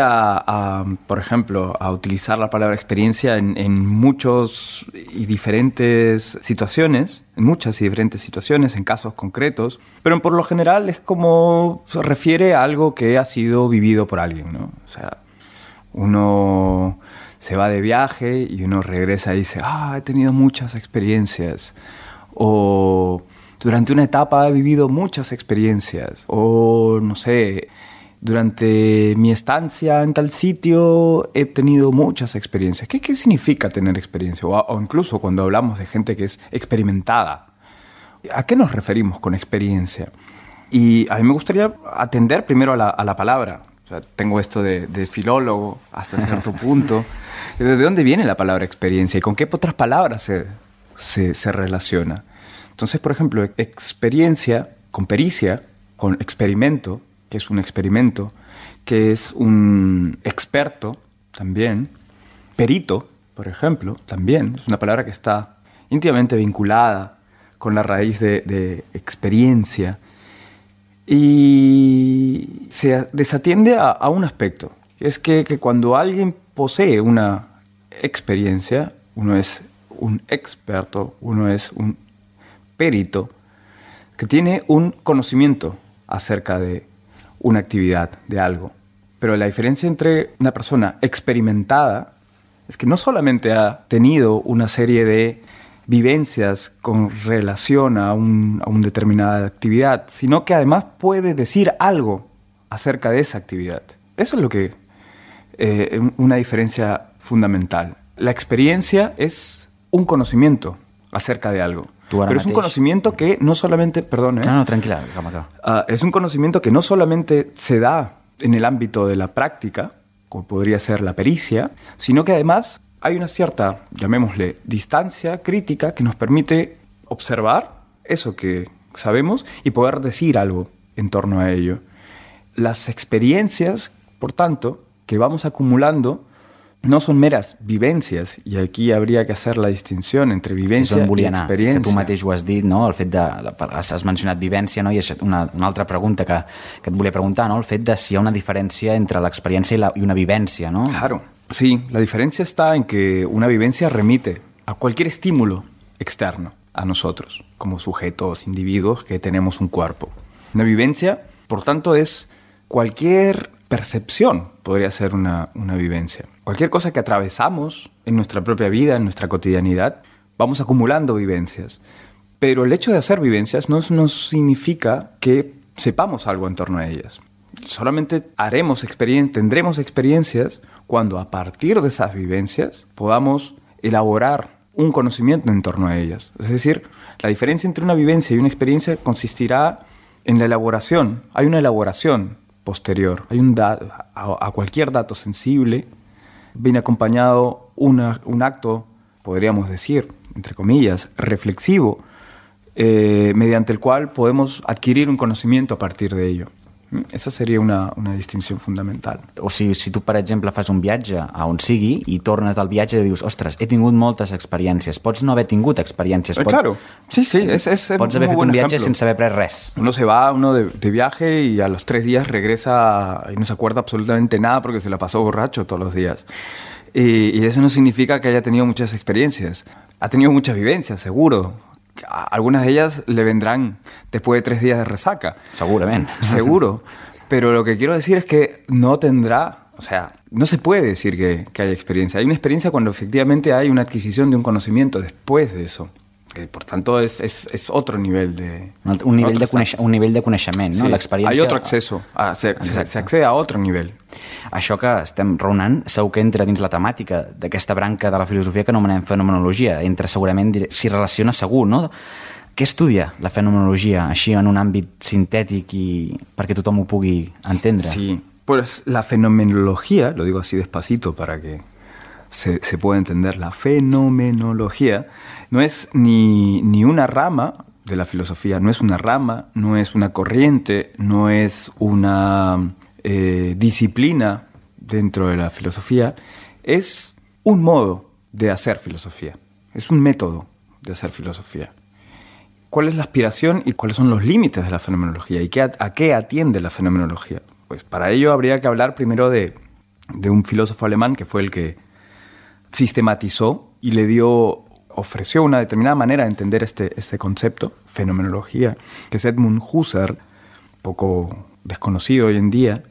por ejemplo, a utilizar la palabra experiencia en muchas y diferentes situaciones, en casos concretos, pero por lo general es como se refiere a algo que ha sido vivido por alguien, ¿no? O sea, uno se va de viaje y uno regresa y dice, he tenido muchas experiencias, o durante una etapa he vivido muchas experiencias, o no sé, durante mi estancia en tal sitio he tenido muchas experiencias. ¿Qué significa tener experiencia? O incluso cuando hablamos de gente que es experimentada, ¿a qué nos referimos con experiencia? Y a mí me gustaría atender primero a la palabra. O sea, tengo esto de filólogo hasta cierto punto. ¿De dónde viene la palabra experiencia y con qué otras palabras se relaciona? Entonces, por ejemplo, experiencia con pericia, con experimento, que es un experimento, que es un experto también, perito, por ejemplo, también, es una palabra que está íntimamente vinculada con la raíz de experiencia, y se desatiende a un aspecto, que es que cuando alguien posee una experiencia, uno es un experto, uno es un perito, que tiene un conocimiento acerca de una actividad, de algo. Pero la diferencia entre una persona experimentada es que no solamente ha tenido una serie de vivencias con relación a una determinada actividad, sino que además puede decir algo acerca de esa actividad. Eso es lo que una diferencia fundamental. La experiencia es un conocimiento acerca de algo. Pero es un conocimiento que no solamente... Perdón, No, tranquila, es un conocimiento que no solamente se da en el ámbito de la práctica, como podría ser la pericia, sino que además hay una cierta, llamémosle, distancia crítica que nos permite observar eso que sabemos y poder decir algo en torno a ello. Las experiencias, por tanto, que vamos acumulando no son meras vivencias, i aquí habría que hacer la distinció entre vivència i experiència. Que tu mateix ho has dit, no? El fet de... Has mencionat vivència, no? I és una altra pregunta que et volia preguntar, no? El fet de si hi ha una diferència entre l'experiència i una vivència, no? Claro, sí. La diferencia está en que una vivencia remite a cualquier estímulo externo a nosotros, como sujetos, individuos que tenemos un cuerpo. Una vivencia, por tanto, es cualquier percepción, podría ser una vivencia. Cualquier cosa que atravesamos en nuestra propia vida, en nuestra cotidianidad, vamos acumulando vivencias. Pero el hecho de hacer vivencias no significa que sepamos algo en torno a ellas. Solamente tendremos experiencias cuando a partir de esas vivencias podamos elaborar un conocimiento en torno a ellas. Es decir, la diferencia entre una vivencia y una experiencia consistirá en la elaboración. Hay una elaboración posterior. Hay a cualquier dato sensible viene acompañado un acto, podríamos decir, entre comillas, reflexivo, mediante el cual podemos adquirir un conocimiento a partir de ello. Esa seria una distinció fundamental. O sigui, si tu, per exemple, fas un viatge a on sigui i tornes del viatge i dius, ostres, he tingut moltes experiències. Pots no haver tingut experiències. Claro, sí, pots haver fet un viatge sin saber res. Uno se va de viaje y a los 3 días regresa y no se acuerda absolutamente nada porque se la pasó borracho todos los días. Y eso no significa que haya tenido muchas experiencias. Ha tenido muchas vivencias, seguro. Algunas de ellas le vendrán después de 3 días de resaca. Seguramente. Seguro. Pero lo que quiero decir es que no tendrá... O sea, no se puede decir que haya experiencia. Hay una experiencia cuando efectivamente hay una adquisición de un conocimiento después de eso. Por tanto, es otro nivel de... Un nivell de coneixement, no? Sí, l'experiència... hay otro acceso. Se accede a otro nivel. Això que estem raonant segur que entra dins la temàtica d'aquesta branca de la filosofia que anomenem fenomenologia. Entra segurament, s'hi relaciona segur, no? Què estudia la fenomenologia així en un àmbit sintètic i perquè tothom ho pugui entendre? Sí, pues la fenomenología, lo digo así despacito para que se pueda entender, la fenomenología no es ni una rama de la filosofía, no es una rama, no es una corriente, no es una disciplina dentro de la filosofía, es un modo de hacer filosofía, es un método de hacer filosofía. ¿Cuál es la aspiración y cuáles son los límites de la fenomenología? ¿Y a qué atiende la fenomenología? Pues para ello habría que hablar primero de un filósofo alemán que fue el que sistematizó y ofreció una determinada manera de entender este concepto, fenomenología, que es Edmund Husserl, poco desconocido hoy en día.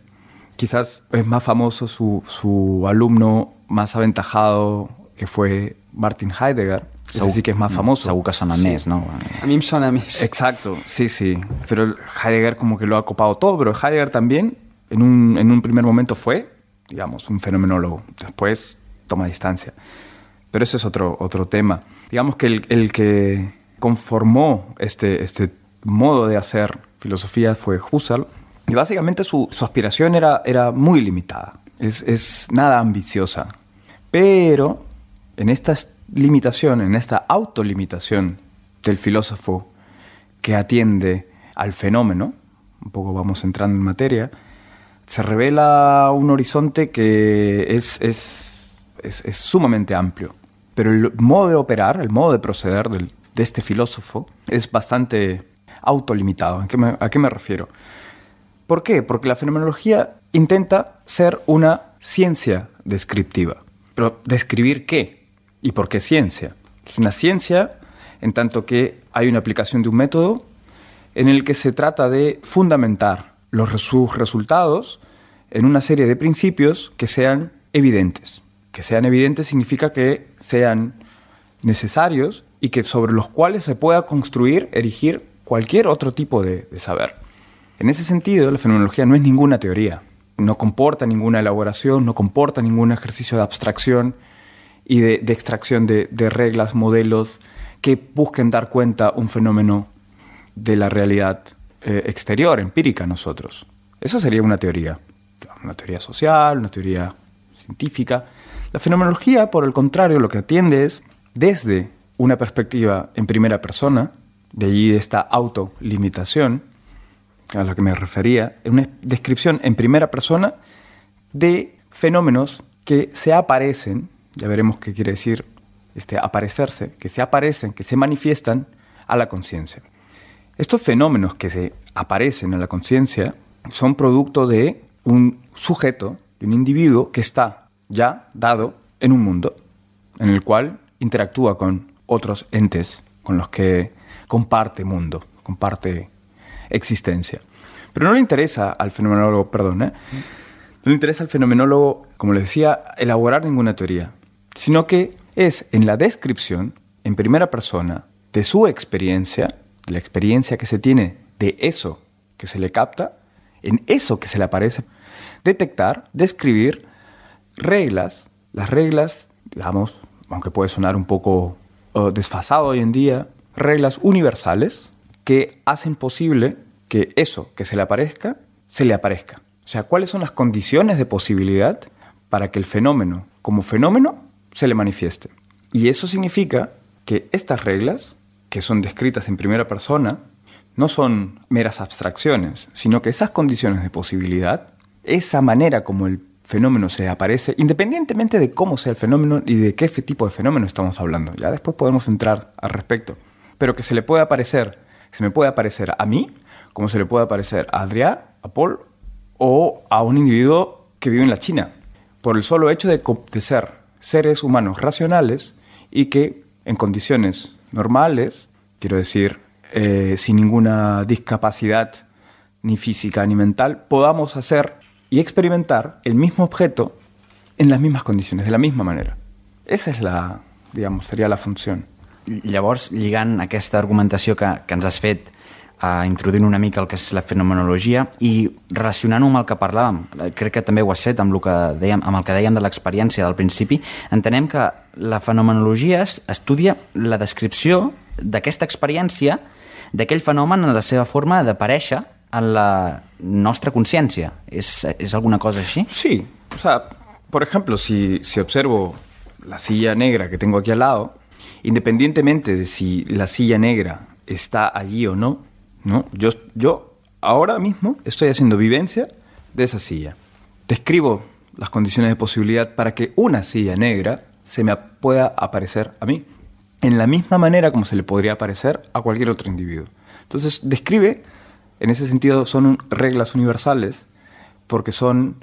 Quizás es más famoso su alumno más aventajado, que fue Martin Heidegger. Ese sí que es más famoso. Segur que sona més, no? A mi em sona més. Exacto, sí. Pero Heidegger como que lo ha copado todo, pero Heidegger también en un primer momento fue, digamos, un fenomenólogo. Después toma distancia. Pero ese es otro tema. Digamos que el que conformó este modo de hacer filosofía fue Husserl. Y básicamente su aspiración era muy limitada. Es nada ambiciosa. Pero en esta limitación, en esta autolimitación del filósofo que atiende al fenómeno, un poco vamos entrando en materia, se revela un horizonte que es sumamente amplio. Pero el modo de operar, el modo de proceder de este filósofo es bastante autolimitado. ¿A qué me refiero? ¿Por qué? Porque la fenomenología intenta ser una ciencia descriptiva. Pero ¿describir qué? ¿Y por qué ciencia? Es una ciencia en tanto que hay una aplicación de un método en el que se trata de fundamentar sus resultados en una serie de principios que sean evidentes. Que sean evidentes significa que sean necesarios y que sobre los cuales se pueda construir, erigir cualquier otro tipo de saber. En ese sentido, la fenomenología no es ninguna teoría, no comporta ninguna elaboración, no comporta ningún ejercicio de abstracción y de extracción de reglas, modelos que busquen dar cuenta un fenómeno de la realidad exterior, empírica a nosotros. Eso sería una teoría social, una teoría científica. La fenomenología, por el contrario, lo que atiende es desde una perspectiva en primera persona, de allí esta autolimitación a la que me refería, una descripción en primera persona de fenómenos que se aparecen, ya veremos qué quiere decir aparecerse, que se aparecen, que se manifiestan a la conciencia. Estos fenómenos que se aparecen a la conciencia son producto de un sujeto, de un individuo que está ya dado en un mundo en el cual interactúa con otros entes con los que comparte mundo, comparte existencia. Pero no le interesa al fenomenólogo, no le interesa al fenomenólogo, como les decía, elaborar ninguna teoría, sino que es en la descripción, en primera persona, de su experiencia, de la experiencia que se tiene de eso que se le capta, en eso que se le aparece, detectar, describir reglas, las reglas, digamos, aunque puede sonar un poco desfasado hoy en día, reglas universales que hacen posible que eso que se le aparezca. O sea, ¿cuáles son las condiciones de posibilidad para que el fenómeno, como fenómeno, se le manifieste? Y eso significa que estas reglas, que son descritas en primera persona, no son meras abstracciones, sino que esas condiciones de posibilidad, esa manera como el fenómeno se aparece, independientemente de cómo sea el fenómeno y de qué tipo de fenómeno estamos hablando. Ya después podemos entrar al respecto. Pero que se le puede aparecer, se me puede aparecer a mí, como se le puede aparecer a Adrià, a Paul o a un individuo que vive en la China, por el solo hecho de ser seres humanos racionales y que en condiciones normales, quiero decir, sin ninguna discapacidad ni física ni mental, podamos hacer y experimentar el mismo objeto en las mismas condiciones, de la misma manera. Esa és la, digamos, seria la funció. Llavors, lligant aquesta argumentació que ens has fet, introduint una mica el que és la fenomenologia i relacionant-ho amb el que parlàvem, crec que també ho has fet amb el que dèiem de l'experiència del principi, entenem que la fenomenologia estudia la descripció d'aquesta experiència, d'aquell fenomen en la seva forma d'aparèixer en la nuestra consciencia. ¿Es alguna cosa así? Sí, o sea, por ejemplo, si observo la silla negra que tengo aquí al lado, independientemente de si la silla negra está allí o no, yo ahora mismo estoy haciendo vivencia de esa silla. Describo las condiciones de posibilidad para que una silla negra se me pueda aparecer a mí, en la misma manera como se le podría aparecer a cualquier otro individuo. Entonces, describe. En ese sentido, son reglas universales porque son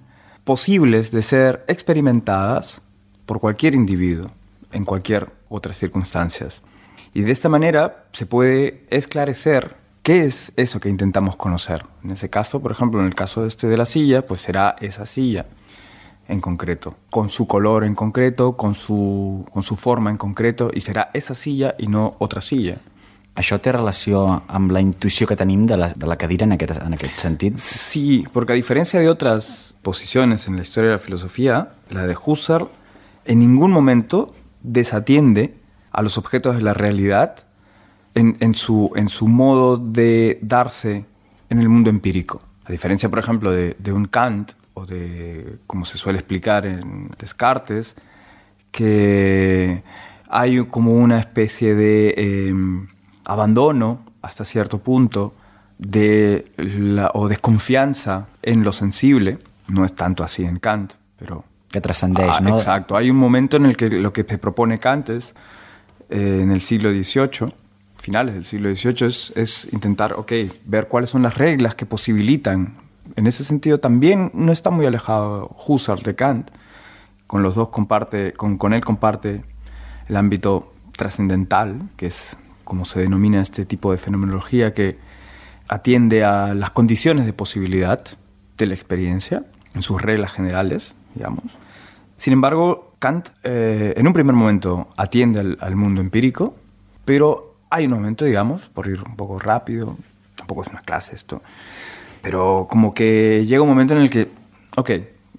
posibles de ser experimentadas por cualquier individuo en cualquier otras circunstancias. Y de esta manera se puede esclarecer qué es eso que intentamos conocer. En ese caso, por ejemplo, en el caso de la silla, pues será esa silla en concreto, con su color en concreto, con su forma en concreto, y será esa silla y no otra silla. ¿Això té relació amb la intuició que tenim de la cadira en aquest sentit? Sí, porque a diferencia de otras posiciones en la historia de la filosofía, la de Husserl en ningún momento desatiende a los objetos de la realidad en su modo de darse en el mundo empírico. A diferencia, por ejemplo, de un Kant o de, como se suele explicar en Descartes, que hay como una especie de abandono hasta cierto punto o desconfianza en lo sensible. No es tanto así en Kant, pero que trascendeix, ¿no? Exacto. Hay un momento en el que lo que se propone Kant es, en el siglo XVIII, finales del siglo XVIII, es intentar, ver cuáles son las reglas que posibilitan. En ese sentido también no está muy alejado Husserl de Kant. Con los dos con él comparte el ámbito trascendental, que es como se denomina este tipo de fenomenología, que atiende a las condiciones de posibilidad de la experiencia, en sus reglas generales, digamos. Sin embargo, Kant en un primer momento atiende al mundo empírico, pero hay un momento, digamos, por ir un poco rápido, tampoco es una clase esto, pero como que llega un momento en el que,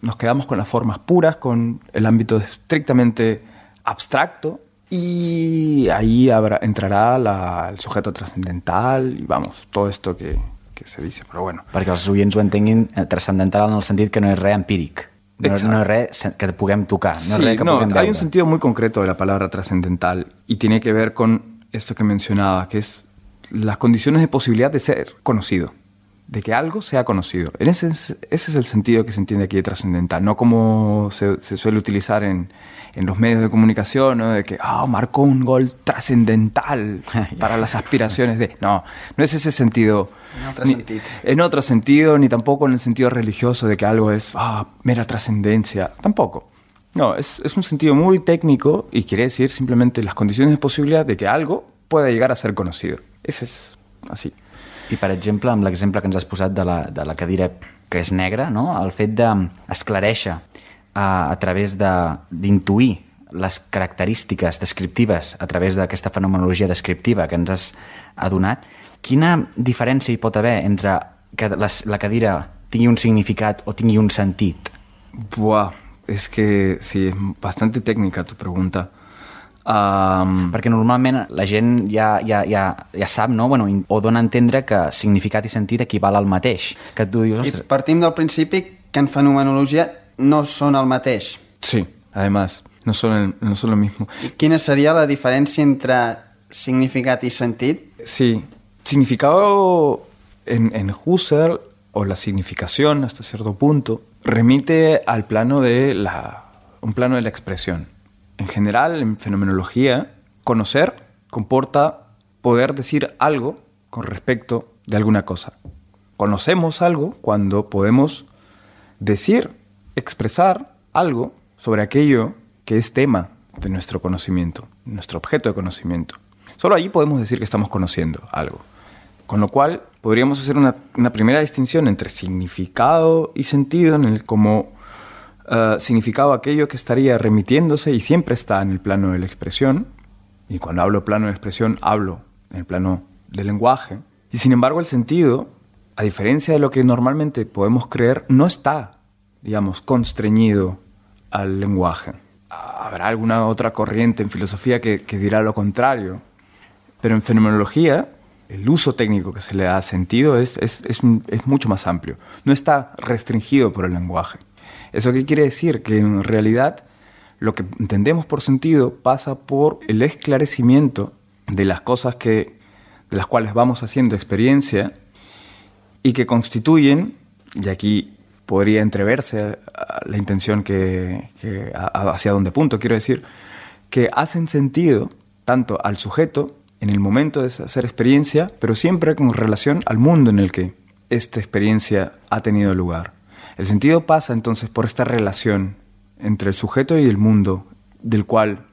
nos quedamos con las formas puras, con el ámbito estrictamente abstracto, y ahí entrarà el sujeto trascendental i tot esto que se dice, però bueno. Perquè els oients ho entenguin, trascendental en el sentit que no és res empíric, no és res que puguem tocar, no és res que puguem veure. Hay un sentido muy concreto de la palabra trascendental y tiene que ver con esto que mencionaba, que es las condiciones de posibilidad de ser conocido, de que algo sea conocido. Ese es el sentido que se entiende aquí de trascendental, no como se suele utilizar en los medios de comunicación, ¿no? De que marcó un gol trascendental para las aspiraciones de... No es ese sentido. En otro sentido, ni tampoco en el sentido religioso de que algo es mera trascendencia. Tampoco. No, es un sentido muy técnico y quiere decir simplemente las condiciones de posibilidad de que algo pueda llegar a ser conocido. Ese es así. I, per exemple, amb l'exemple que ens has posat de la cadira que és negra, no? El fet d'esclarèixer a través d'intuir les característiques descriptives a través d'aquesta fenomenologia descriptiva que ens has adonat, quina diferència hi pot haver entre que la cadira tingui un significat o tingui un sentit? Buah, es que sí, es bastante técnica tu pregunta. Perquè normalment la gent ja sap, no? Bueno, o dona a entendre que significat i sentit equival al mateix. Que tu dius, I partim del principi que en fenomenologia no són el mateix. Sí, además, no son lo mismo. I quina seria la diferència entre significat y sentit? Sí, significado en Husserl, o la significación hasta cierto punto, remite al plano un plano de la expresión. En general, en fenomenología, conocer comporta poder decir algo con respecto de alguna cosa. Conocemos algo cuando podemos decir, expresar algo sobre aquello que es tema de nuestro conocimiento, nuestro objeto de conocimiento. Solo allí podemos decir que estamos conociendo algo. Con lo cual, podríamos hacer una primera distinción entre significado y sentido, en el como significado aquello que estaría remitiéndose y siempre está en el plano de la expresión. Y cuando hablo plano de expresión, hablo en el plano del lenguaje. Y sin embargo, el sentido, a diferencia de lo que normalmente podemos creer, no está, digamos, constreñido al lenguaje. Habrá alguna otra corriente en filosofía que dirá lo contrario. Pero en fenomenología, el uso técnico que se le da a sentido es mucho más amplio. No está restringido por el lenguaje. ¿Eso qué quiere decir? Que en realidad lo que entendemos por sentido pasa por el esclarecimiento de las cosas de las cuales vamos haciendo experiencia y que constituyen, y aquí podría entreverse la intención hacia dónde punto, quiero decir, que hacen sentido tanto al sujeto en el momento de hacer experiencia, pero siempre con relación al mundo en el que esta experiencia ha tenido lugar. El sentido pasa entonces por esta relación entre el sujeto y el mundo, del cual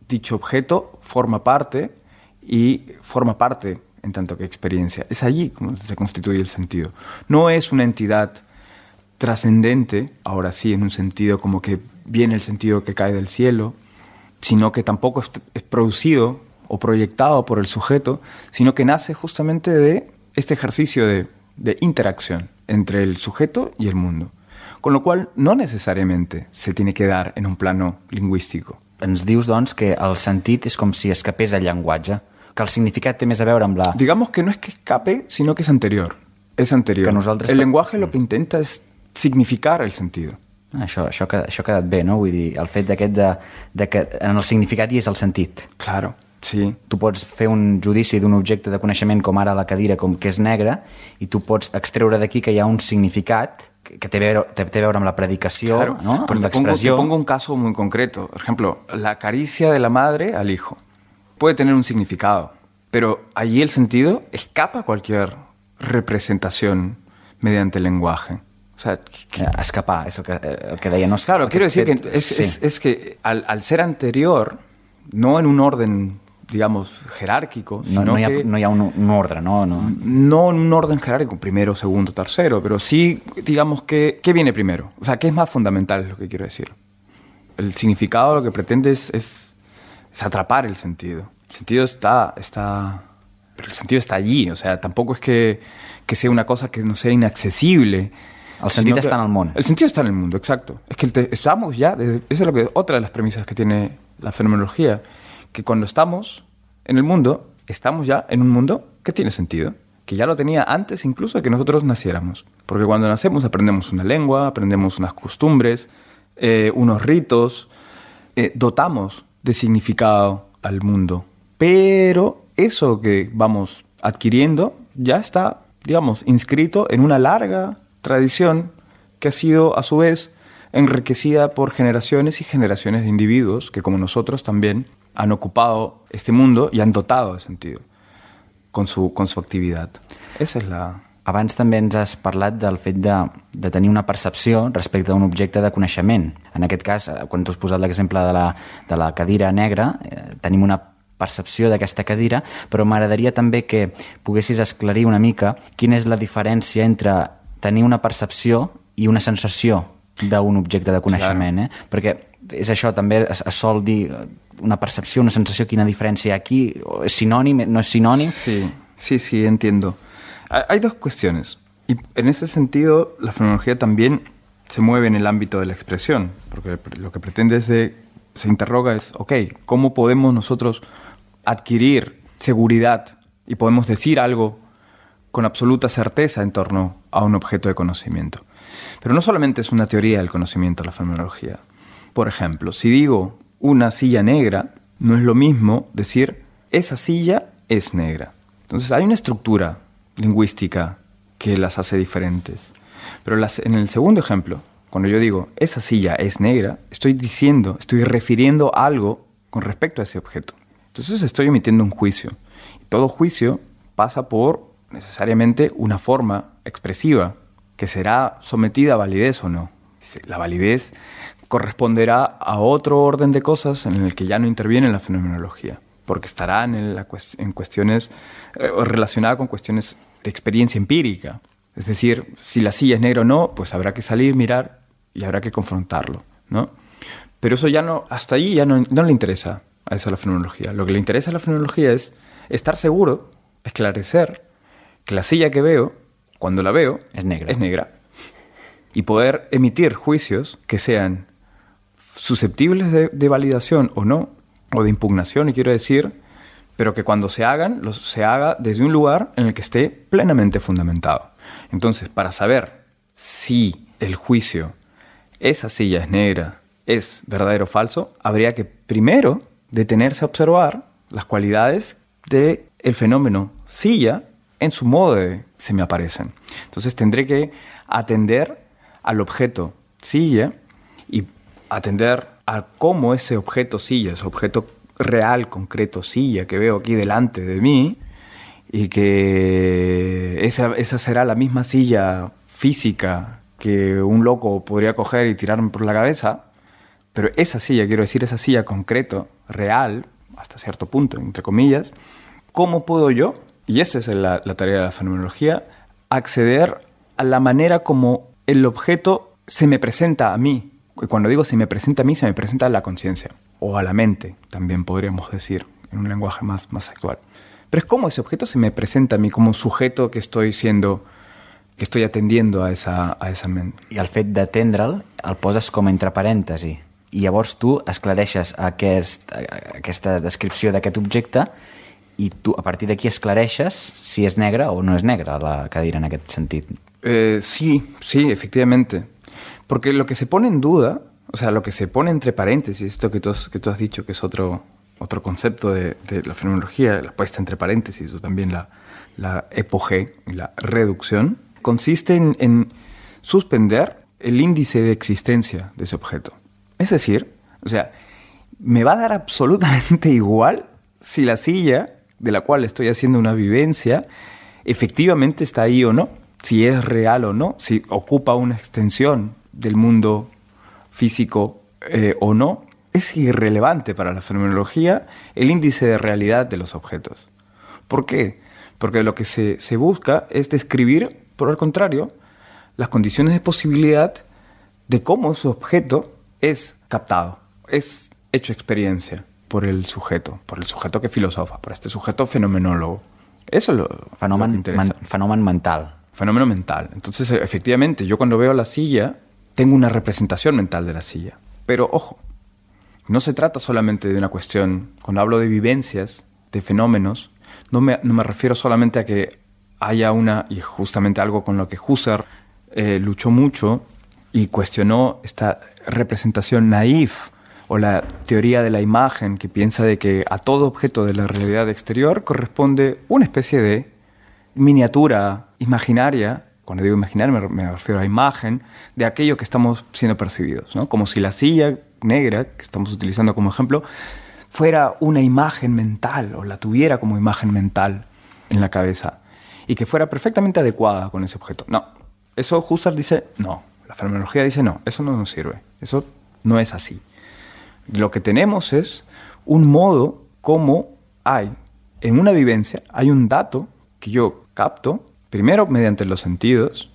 dicho objeto forma parte en tanto que experiencia. Es allí como se constituye el sentido. No es una entidad trascendente, ahora sí, en un sentido como que viene el sentido que cae del cielo, sino que tampoco es producido o proyectado por el sujeto, sino que nace justamente de este ejercicio de interacción entre el sujeto y el mundo. Con lo qual, no necessàriament se tiene que dar en un plano lingüístico. Ens dius, doncs, que el sentit és com si escapés del llenguatge, que el significat té més a veure amb la... Digamos que no es que escape, sino que es anterior. Es anterior. El lenguaje lo que intenta es significar el sentido. Això ha quedat bé, no? Vull dir, el fet d'aquest de que en el significat hi és el sentit. Claro, sí. Tu pots fer un judici d'un objecte de coneixement com ara la cadira, com que és negra, i tu pots extreure d'aquí que hi ha un significat que té a veure amb la predicació, claro, ¿no? Amb l'expressió. Te pongo un caso muy concreto. Por ejemplo, la caricia de la madre al hijo. Puede tener un significado, pero allí el sentido escapa a cualquier representación mediante el lenguaje. O sea, escapar, és el que deia. No? Claro, quiero decir que es que al ser anterior, no en un orden, digamos, jerárquico, sino no hi ha un ordre, no? No en un orden jerárquico, primero, segundo, tercero, pero sí, digamos, ¿qué viene primero? O sea, ¿qué es más fundamental, es lo que quiero decir? El significado lo que pretende es atrapar el sentido. El sentido pero el sentido está allí, o sea, tampoco es que sea una cosa que no sea inaccesible. El sentit està en el món. El sentido está en el mundo, exacto. Es que estamos ya, esa es otra de las premisas que tiene la fenomenología, que cuando estamos en el mundo, estamos ya en un mundo que tiene sentido, que ya lo tenía antes incluso de que nosotros naciéramos. Porque cuando nacemos aprendemos una lengua, aprendemos unas costumbres, unos ritos, dotamos de significado al mundo. Pero eso que vamos adquiriendo ya está, digamos, inscrito en una larga tradición que ha sido, a su vez, enriquecida por generaciones y generaciones de individuos que, como nosotros, también han ocupado este mundo y han dotado de sentido con su actividad. Esa es la... Abans també ens has parlat del fet de tenir una percepció respecte a un objecte de coneixement. En aquest cas, quan tu has posat l'exemple de la cadira negra, tenim una percepció d'aquesta cadira, però m'agradaria també que poguessis esclarir una mica quina és la diferència entre tenir una percepció i una sensació d'un objecte de coneixement. Perquè és això, també es sol dir una percepció, una sensació, quina diferència hi ha aquí? ¿Es sinònim? ¿No es sinònim? Sí, entiendo. Hay dos cuestiones. Y en ese sentido, la fenomenología también se mueve en el ámbito de la expresión, porque lo que pretende se interroga es, ok, ¿cómo podemos nosotros adquirir seguridad y podemos decir algo con absoluta certeza en torno a un objeto de conocimiento? Pero no solamente es una teoría del conocimiento la fenomenología. Por ejemplo, si digo una silla negra, no es lo mismo decir esa silla es negra. Entonces hay una estructura lingüística que las hace diferentes. Pero en el segundo ejemplo, cuando yo digo esa silla es negra, estoy refiriendo algo con respecto a ese objeto. Entonces estoy emitiendo un juicio. Y todo juicio pasa por necesariamente una forma expresiva que será sometida a validez o no. La validez corresponderá a otro orden de cosas en el que ya no interviene la fenomenología, porque estará en cuestiones relacionadas con cuestiones de experiencia empírica. Es decir, si la silla es negra o no, pues habrá que salir, mirar y habrá que confrontarlo, ¿no? Pero eso ya no, hasta ahí ya no le interesa a eso a la fenomenología. Lo que le interesa a la fenomenología es estar seguro, esclarecer que la silla que veo, cuando la veo, es negra. Y poder emitir juicios que sean susceptibles de validación o no, o de impugnación, y quiero decir, pero que cuando se haga desde un lugar en el que esté plenamente fundamentado. Entonces, para saber si el juicio, esa silla es negra, es verdadero o falso, habría que primero detenerse a observar las cualidades del fenómeno silla en su modo de se me aparecen. Entonces tendré que atender al objeto silla y atender a cómo ese objeto silla, ese objeto real, concreto, silla que veo aquí delante de mí, y que esa será la misma silla física que un loco podría coger y tirarme por la cabeza, pero esa silla, quiero decir, esa silla concreto, real, hasta cierto punto, entre comillas, ¿cómo puedo yo, y esa es la tarea de la fenomenología, acceder a la manera como el objeto se me presenta a mí? Y cuando digo se me presenta a mí, se me presenta a la conciencia, o a la mente, también podríamos decir, en un lenguaje más actual. Pero es como ese objeto se me presenta a mí como un sujeto que estoy atendiendo a esa mente. I el fet d'atendre'l el poses com entre parèntesi. I llavors tu esclareixes aquesta descripció d'aquest objecte i tu a partir d'aquí esclareixes si és negra o no és negra la cadira en aquest sentit. Sí, efectivamente. Porque lo que se pone en duda, o sea, lo que se pone entre paréntesis, esto que tú has dicho que es otro concepto de la fenomenología, la puesta entre paréntesis o también la epogé y la reducción, consiste en suspender el índice de existencia de ese objeto. Es decir, o sea, me va a dar absolutamente igual si la silla de la cual estoy haciendo una vivencia efectivamente está ahí o no, si es real o no, si ocupa una extensión del mundo físico o no. Es irrelevante para la fenomenología el índice de realidad de los objetos. ¿Por qué? Porque lo que se busca es describir, por el contrario, las condiciones de posibilidad de cómo su objeto es captado, es hecho experiencia por el sujeto que filosofa, por este sujeto fenomenólogo. Eso es lo que interesa. Fenomen mental. Fenómeno mental. Entonces, efectivamente, yo cuando veo la silla, tengo una representación mental de la silla. Pero, ojo, no se trata solamente de una cuestión, cuando hablo de vivencias, de fenómenos, no me refiero solamente a que haya y justamente algo con lo que Husserl luchó mucho y cuestionó esta representación naif o la teoría de la imagen que piensa de que a todo objeto de la realidad exterior corresponde una especie de miniatura imaginaria. Cuando digo imaginaria me refiero a imagen de aquello que estamos siendo percibidos, ¿no? Como si la silla negra, que estamos utilizando como ejemplo, fuera una imagen mental o la tuviera como imagen mental en la cabeza y que fuera perfectamente adecuada con ese objeto. No, eso Husserl dice no, la fenomenología dice no, eso no nos sirve, eso no es así. Lo que tenemos es un modo como hay en una vivencia, hay un dato que yo capto, primero mediante los sentidos.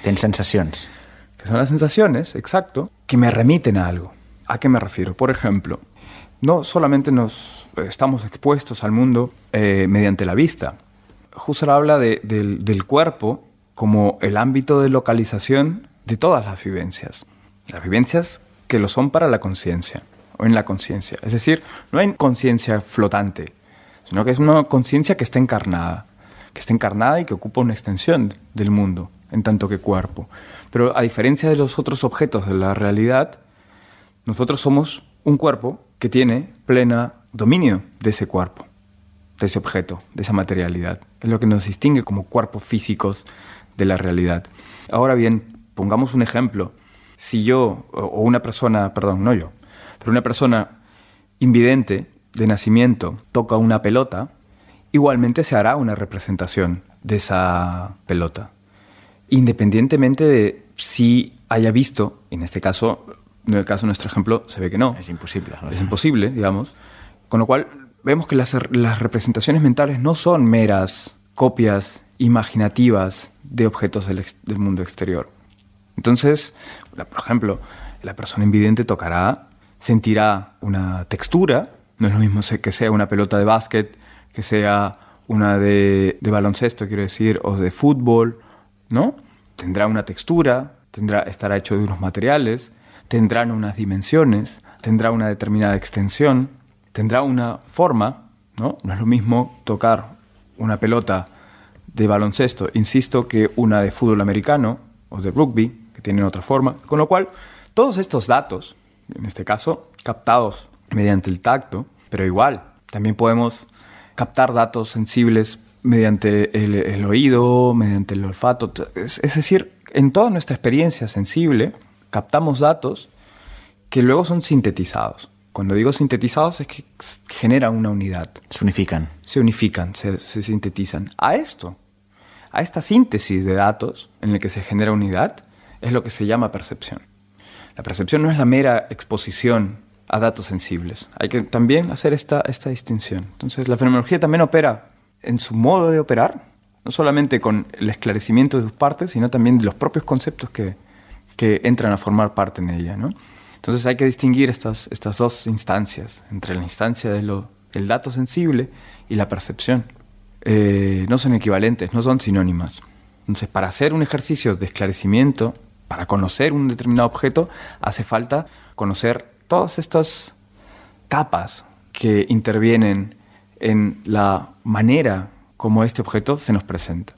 Tens sensacions. Que son las sensaciones, exacto, que me remiten a algo. ¿A qué me refiero? Por ejemplo, no solamente estamos expuestos al mundo mediante la vista. Husserl habla del cuerpo como el ámbito de localización de todas las vivencias que lo son para la conciencia o en la conciencia. Es decir, no hay conciencia flotante, sino que es una conciencia que está encarnada y que ocupa una extensión del mundo en tanto que cuerpo. Pero a diferencia de los otros objetos de la realidad, nosotros somos un cuerpo que tiene pleno dominio de ese cuerpo, de ese objeto, de esa materialidad. Es lo que nos distingue como cuerpos físicos de la realidad. Ahora bien, pongamos un ejemplo. Si yo, o una persona, perdón, no yo, pero una persona invidente de nacimiento toca una pelota, igualmente se hará una representación de esa pelota, independientemente de si haya visto, en este caso, en el caso de nuestro ejemplo, se ve que no. Es imposible. ¿No? Es imposible, digamos. Con lo cual, vemos que las representaciones mentales no son meras copias imaginativas de objetos del mundo exterior. Entonces, por ejemplo, la persona invidente sentirá una textura. No es lo mismo que sea una pelota de básquet, que sea una de baloncesto, quiero decir, o de fútbol, ¿no? Tendrá una textura, estará hecho de unos materiales, tendrán unas dimensiones, tendrá una determinada extensión, tendrá una forma, ¿no? No es lo mismo tocar una pelota de baloncesto, insisto, que una de fútbol americano o de rugby, que tienen otra forma. Con lo cual, todos estos datos, en este caso, captados mediante el tacto, pero igual, también podemos captar datos sensibles mediante el oído, mediante el olfato. Es decir, en toda nuestra experiencia sensible, captamos datos que luego son sintetizados. Cuando digo sintetizados es que generan una unidad. Se unifican. Se sintetizan. A esta síntesis de datos en la que se genera unidad, es lo que se llama percepción. La percepción no es la mera exposición a datos sensibles. Hay que también hacer esta distinción. Entonces, la fenomenología también opera en su modo de operar, no solamente con el esclarecimiento de sus partes, sino también de los propios conceptos que entran a formar parte en ella, ¿no? Entonces hay que distinguir estas dos instancias, entre la instancia del dato sensible y la percepción. No son equivalentes, no son sinónimas. Entonces, para hacer un ejercicio de esclarecimiento, para conocer un determinado objeto, hace falta conocer todas estas capas que intervienen en la manera como este objeto se nos presenta.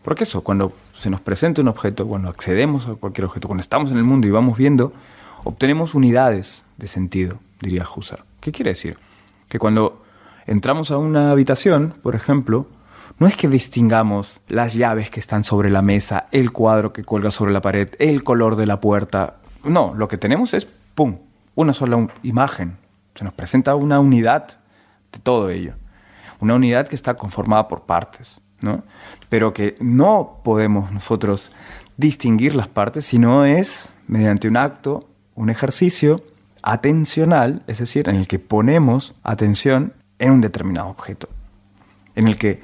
Porque eso, cuando se nos presenta un objeto, cuando accedemos a cualquier objeto, cuando estamos en el mundo y vamos viendo, obtenemos unidades de sentido, diría Husserl. ¿Qué quiere decir? Que cuando entramos a una habitación, por ejemplo, no es que distingamos las llaves que están sobre la mesa, el cuadro que cuelga sobre la pared, el color de la puerta. No, lo que tenemos es, ¡pum!, una sola imagen. Se nos presenta una unidad de todo ello. Una unidad que está conformada por partes, ¿no? Pero que no podemos nosotros distinguir las partes, sino es mediante un acto, un ejercicio atencional, es decir, en el que ponemos atención en un determinado objeto. En el que,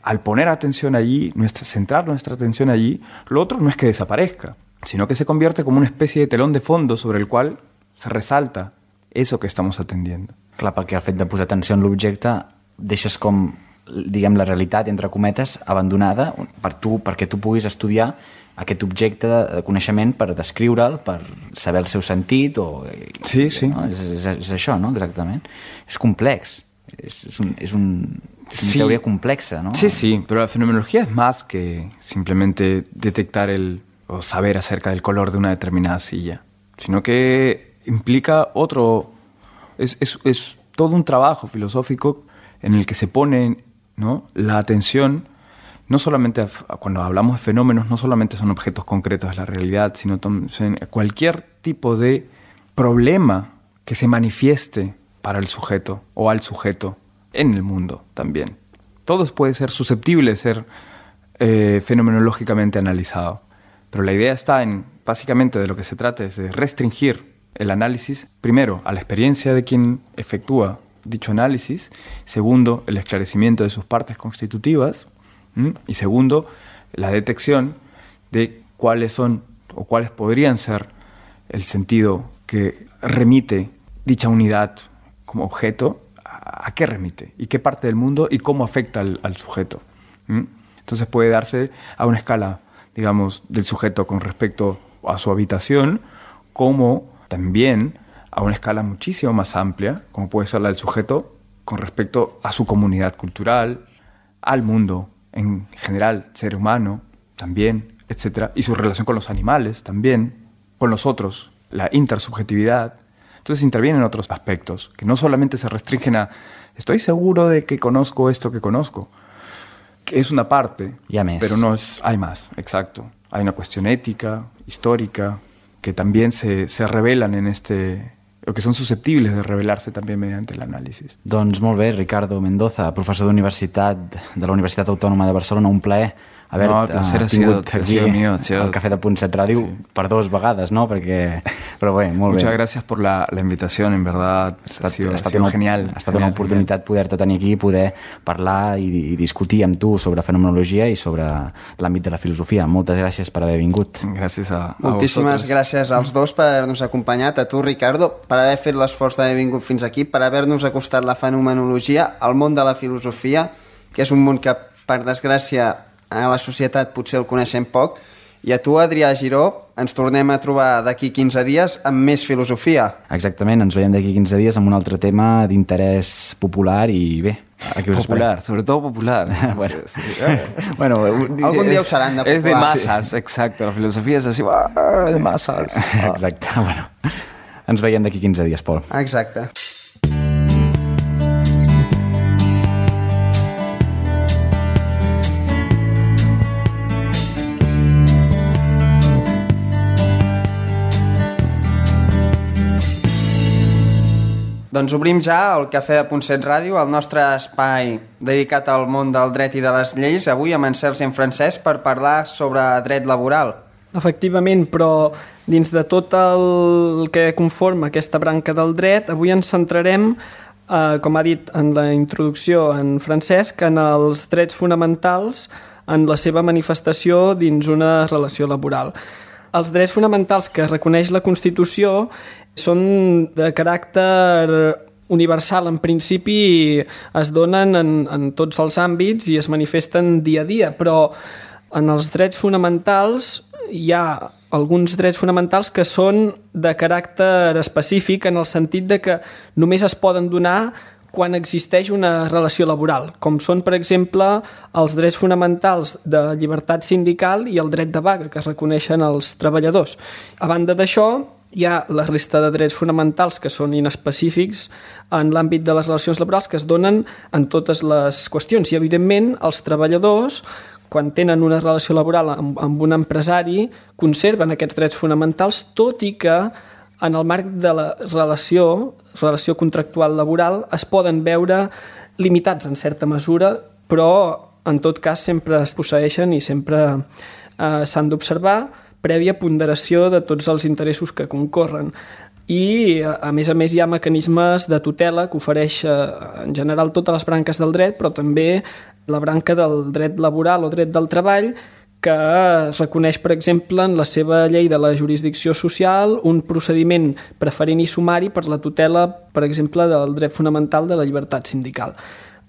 al poner atención allí, centrar nuestra atención allí, lo otro no es que desaparezca, sino que se convierte como una especie de telón de fondo sobre el cual se resalta eso que estamos atendiendo. Clar, perquè al fet de posar atenció en l'objecte deixes com, diguem, la realitat, entre cometes, abandonada perquè tu puguis estudiar aquest objecte de coneixement per descriure'l, per saber el seu sentit o... Sí, sí. No? És això, no? Exactament. És complex. És una teoría complexa, ¿no? Sí, sí, pero la fenomenología es más que simplemente detectar o saber acerca del color de una determinada silla, sino que implica es todo un trabajo filosófico en el que se pone, ¿no?, la atención, no solamente cuando hablamos de fenómenos, no solamente son objetos concretos de la realidad, sino cualquier tipo de problema que se manifieste para el sujeto o al sujeto en el mundo también. Todo puede ser susceptible de ser fenomenológicamente analizado, pero la idea está básicamente de lo que se trata es de restringir el análisis, primero, a la experiencia de quien efectúa dicho análisis, segundo, el esclarecimiento de sus partes constitutivas, y segundo, la detección de cuáles son o cuáles podrían ser el sentido que remite dicha unidad como objeto, a qué remite y qué parte del mundo y cómo afecta al sujeto. Entonces puede darse a una escala digamos, del sujeto con respecto a su habitación, como también a una escala muchísimo más amplia, como puede ser la del sujeto con respecto a su comunidad cultural, al mundo en general, ser humano también, etc. Y su relación con los animales también, con los otros, la intersubjetividad. Entonces intervienen otros aspectos, que no solamente se restringen a estoy seguro de que conozco esto que conozco, que es una parte, pero no es, hay más, exacto. Hay una cuestión ética, histórica, que también se revelan en o que són susceptibles de revelar-se també mediante l'anàlisi. Doncs molt bé, Ricardo Mendoza, professor d'universitat de la Universitat Autònoma de Barcelona, un plaer haver-te tingut aquí al Café de Punt 7 Ràdio per 2 vegades, ¿no? Perquè, però bé, molt bé. Muchas gracias por la invitación, en verdad ha sido genial. Ha estat una oportunitat poder-te tenir aquí, poder parlar i discutir amb tu sobre fenomenologia i sobre l'àmbit de la filosofia. Moltes gràcies per haver vingut. Gràcies a Moltíssimes gràcies als dos per haver-nos acompanyat, a tu, Ricardo, per haver fet l'esforç d'haver vingut fins aquí, per haver-nos acostat la fenomenologia al món de la filosofia, que és un món que, per desgràcia, a la societat potser el coneixem poc, i a tu, Adrià Giró, ens tornem a trobar d'aquí 15 dies amb més filosofia. Exactament, ens veiem d'aquí 15 dies amb un altre tema d'interès popular i bé, aquí us popular, sobretot popular. Bueno, algun dia ho seran de popular. És de masses, exacte, la filosofia és així, de masses. Exacte, bueno, ens veiem d'aquí 15 dies, Pol. Exacte. Doncs obrim ja el Cafè de Punt 7 Ràdio, el nostre espai dedicat al món del dret i de les lleis, avui amb en Cels i en Francesc per parlar sobre dret laboral. Efectivament, però dins de tot el que conforma aquesta branca del dret, avui ens centrarem, com ha dit en la introducció en Francesc, en els drets fonamentals en la seva manifestació dins una relació laboral. Els drets fonamentals que reconeix la Constitució són de caràcter universal. En principi es donen en tots els àmbits i es manifesten dia a dia, però en els drets fonamentals hi ha alguns drets fonamentals que són de caràcter específic en el sentit de que només es poden donar quan existeix una relació laboral, com són, per exemple, els drets fonamentals de llibertat sindical i el dret de vaga, que es reconeixen als treballadors. A banda d'això, hi ha la resta de drets fonamentals que són inespecífics en l'àmbit de les relacions laborals que es donen en totes les qüestions. I, evidentment, els treballadors, quan tenen una relació laboral amb un empresari, conserven aquests drets fonamentals, tot i que en el marc de la relació contractual laboral, es poden veure limitats en certa mesura, però en tot cas sempre es posseeixen i sempre s'han d'observar prèvia ponderació de tots els interessos que concorren. I, a més, hi ha mecanismes de tutela que ofereix en general totes les branques del dret, però també la branca del dret laboral o dret del treball, que es reconeix, per exemple, en la seva llei de la jurisdicció social un procediment preferent i sumari per la tutela, per exemple, del dret fonamental de la llibertat sindical.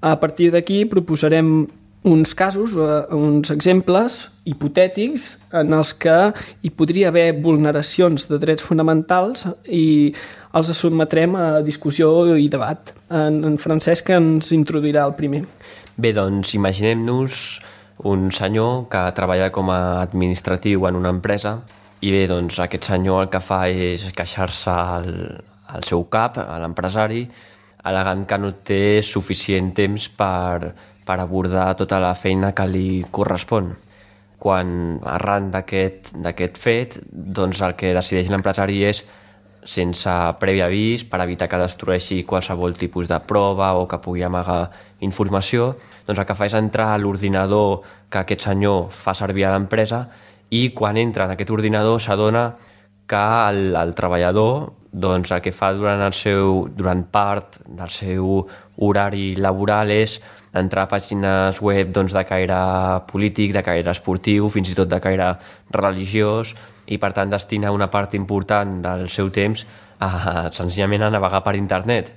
A partir d'aquí proposarem uns casos, uns exemples hipotètics en els que hi podria haver vulneracions de drets fonamentals i els sotmetrem a discussió i debat. En Francesc ens introduirà el primer. Bé, doncs imaginem-nos un senyor que treballa com a administratiu en una empresa i bé, doncs aquest senyor el que fa és queixar-se al seu cap, a l'empresari, al·legant que no té suficient temps per abordar tota la feina que li correspon. Quan arran d'aquest fet, doncs el que decideix l'empresari és, sense previ avís, per evitar que destrueixi qualsevol tipus de prova o que pugui amagar informació, doncs el que fa és entrar a l'ordinador que aquest senyor fa servir a l'empresa i quan entra en aquest ordinador s'adona que el treballador doncs, el que fa durant part del seu horari laboral és entrar a pàgines web doncs, de caire polític, de caire esportiu, fins i tot de caire religiós, i per tant destina una part important del seu temps senzillament a navegar per internet.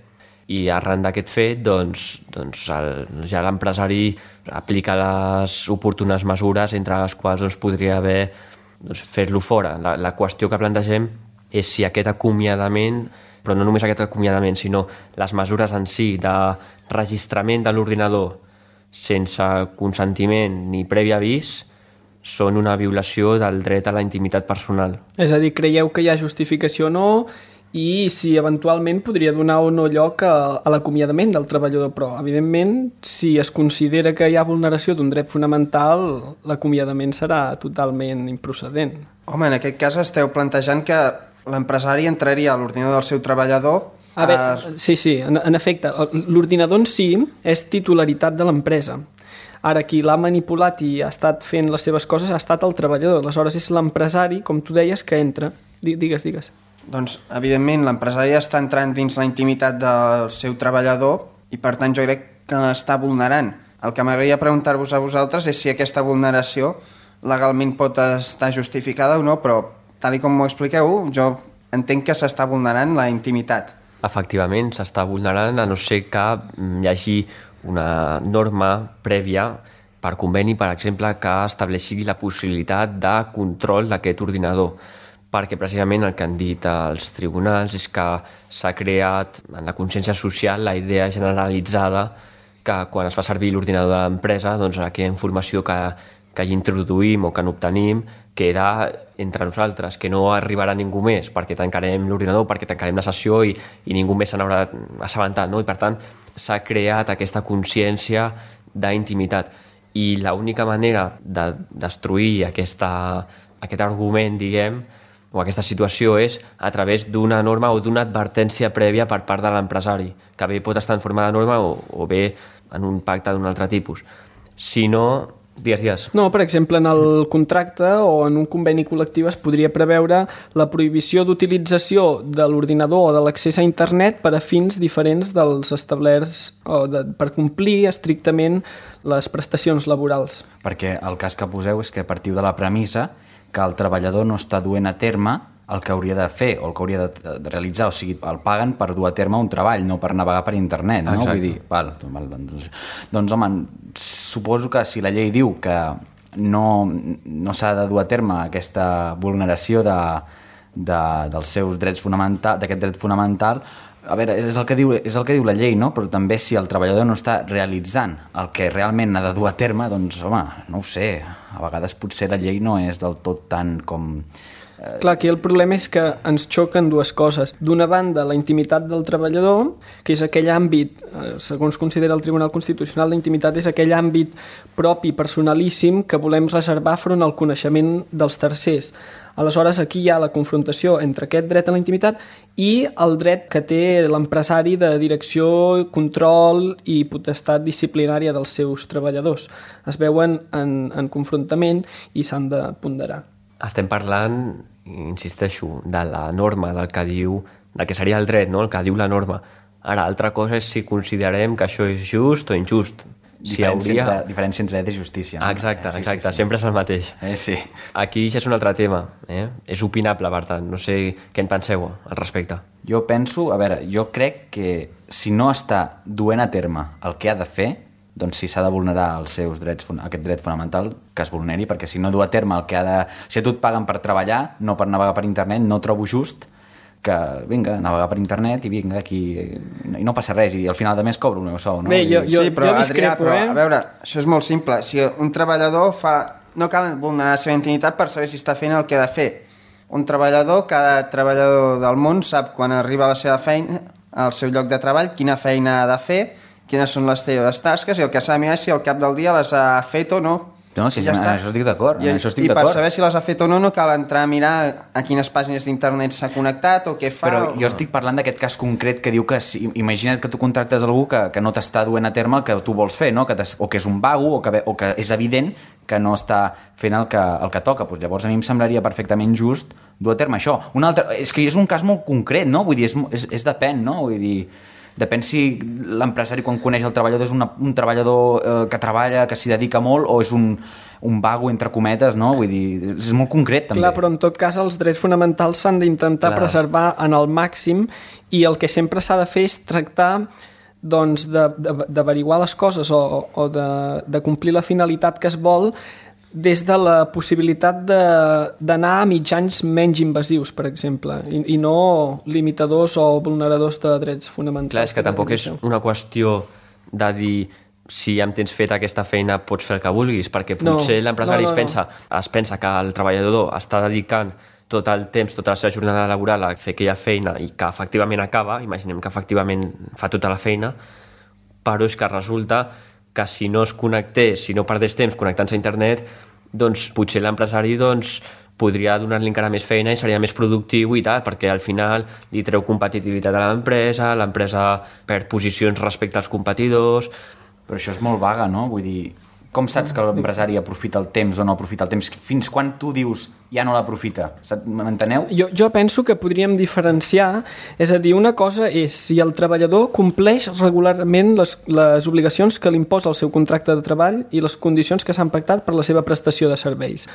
I arran d'aquest fet, ja l'empresari aplica les oportunes mesures, entre les quals podria haver fer-lo fora. La qüestió que plantegem és si aquest acomiadament, però no només aquest acomiadament, sinó les mesures en si de registrament de l'ordinador sense consentiment ni previ avís són una violació del dret a la intimitat personal. És a dir, creieu que hi ha justificació o no i si eventualment podria donar o no lloc a l'acomiadament del treballador, però evidentment si es considera que hi ha vulneració d'un dret fonamental, l'acomiadament serà totalment improcedent. Home, en aquest cas esteu plantejant que l'empresari entraria a l'ordinador del seu treballador. A veure, sí, en efecte, l'ordinador en si és titularitat de l'empresa. Ara, qui l'ha manipulat i ha estat fent les seves coses ha estat el treballador. Aleshores és l'empresari, com tu deies, que entra. Digues. Doncs, evidentment, l'empresari està entrant dins la intimitat del seu treballador i, per tant, jo crec que l'està vulnerant. El que m'agradaria preguntar-vos a vosaltres és si aquesta vulneració legalment pot estar justificada o no, però, tal com m'ho expliqueu, jo entenc que s'està vulnerant la intimitat. Efectivament, s'està vulnerant, a no ser que hi hagi una norma prèvia per conveni, per exemple, que estableixi la possibilitat de control d'aquest ordinador, perquè precisament el que han dit els tribunals és que s'ha creat en la consciència social la idea generalitzada que quan es fa servir l'ordinador de l'empresa, doncs aquella informació que hi introduïm o que n'obtenim queda entre nosaltres, que no arribarà ningú més perquè tancarem l'ordinador, perquè tancarem la sessió i ningú més se n'haurà assabentat, no? I per tant s'ha creat aquesta consciència d'intimitat i l'única manera de destruir aquest argument, diguem, o aquesta situació és a través d'una norma o d'una advertència prèvia per part de l'empresari, que bé pot estar en forma de norma o bé en un pacte d'un altre tipus. Si no, digues. No, per exemple, en el contracte o en un conveni col·lectiu es podria preveure la prohibició d'utilització de l'ordinador o de l'accés a internet per a fins diferents dels establerts per complir estrictament les prestacions laborals. Perquè el cas que poseu és que partiu de la premissa que el treballador no està duent a terme el que hauria de fer o el que hauria de realitzar, o sigui, el paguen per dur a terme un treball, no per navegar per internet, no? Exacte. Vull dir, doncs home, suposo que si la llei diu que no s'ha de dur a terme aquesta vulneració dels seus drets fonamentals, d'aquest dret fonamental, a veure, és el que diu la llei, no? Però també si el treballador no està realitzant el que realment ha de dur a terme, doncs, home, no ho sé, a vegades potser la llei no és del tot tant com... Clar, aquí el problema és que ens xoquen dues coses. D'una banda, la intimitat del treballador, que és aquell àmbit, segons considera el Tribunal Constitucional, la intimitat és aquell àmbit propi, personalíssim, que volem reservar front al coneixement dels tercers. Aleshores, aquí hi ha la confrontació entre aquest dret a la intimitat i el dret que té l'empresari de direcció, control i potestat disciplinària dels seus treballadors. Es veuen en confrontament i s'han de ponderar. Estem parlant, insisteixo, de la norma, del que seria el dret, no? El que diu la norma. Ara, altra cosa és si considerem que això és just o injust. Diferència entre dret i justícia. No? Exacte, sí. Sempre és el mateix. Sí. Aquí ja és un altre tema. És opinable, per tant. No sé què en penseu al respecte. Jo penso, jo crec que si no està duent a terme el que ha de fer, doncs si s'ha de vulnerar els seus drets, aquest dret fonamental, que es vulneri, perquè si no du a terme el que ha de... Si a tu et paguen per treballar, no per navegar per internet, no trobo just que, vinga, navegar per internet i vinga, aquí... I no passa res, i al final de mes cobro el meu sou, no? Bé, sí, però, Adrià, a veure, això és molt simple. Si un treballador fa... No cal vulnerar la seva intimitat per saber si està fent el que ha de fer. Un treballador, cada treballador del món sap quan arriba a la seva feina, al seu lloc de treball, quina feina ha de fer, quines són les teves tasques, i el que s'ha de mirar és si al cap del dia les ha fet o no. No, sí, ja en això estic d'acord. I per saber si les ha fet o no, no cal entrar a mirar a quines pàgines d'internet s'ha connectat o què fa. Però jo estic parlant d'aquest cas concret que diu que, imagina't que tu contractes algú que no t'està duent a terme el que tu vols fer, no? O que és un vago o que és evident que no està fent el que toca. Pues llavors a mi em semblaria perfectament just dur a terme això. És que és un cas molt concret, no? Vull dir, és depèn, no? Vull dir... Depèn si l'empresari quan coneix el treballador és un treballador que treballa, que s'hi dedica molt, o és un un vago entre cometes, no? Vull dir, és molt concret també. Clar, però en tot cas els drets fonamentals s'han d'intentar preservar en el màxim i el que sempre s'ha de fer és tractar doncs, d'averiguar les coses o de complir la finalitat que es vol des de la possibilitat d'anar a mitjans menys invasius, per exemple, i no limitadors o vulneradors de drets fonamentals. Clar, és que tampoc és una qüestió de dir si ja em tens fet aquesta feina pots fer el que vulguis, perquè potser l'empresari es pensa que el treballador està dedicant tot el temps, tota la seva jornada laboral a fer aquella feina i que efectivament acaba, imaginem que efectivament fa tota la feina, però és que resulta que si no es connectés, si no perdés temps connectant-se a internet, doncs potser l'empresari podria donar-li encara més feina i seria més productiu i tal, perquè al final li treu competitivitat a l'empresa perd posicions respecte als competidors. Però això és molt vaga, no? Vull dir, com saps que l'empresari aprofita el temps o no aprofita el temps? Fins quan tu dius ja no l'aprofita? M'enteneu? Jo penso que podríem diferenciar, és a dir, una cosa és si el treballador compleix regularment les obligacions que li imposa el seu contracte de treball i les condicions que s'han pactat per la seva prestació de serveis.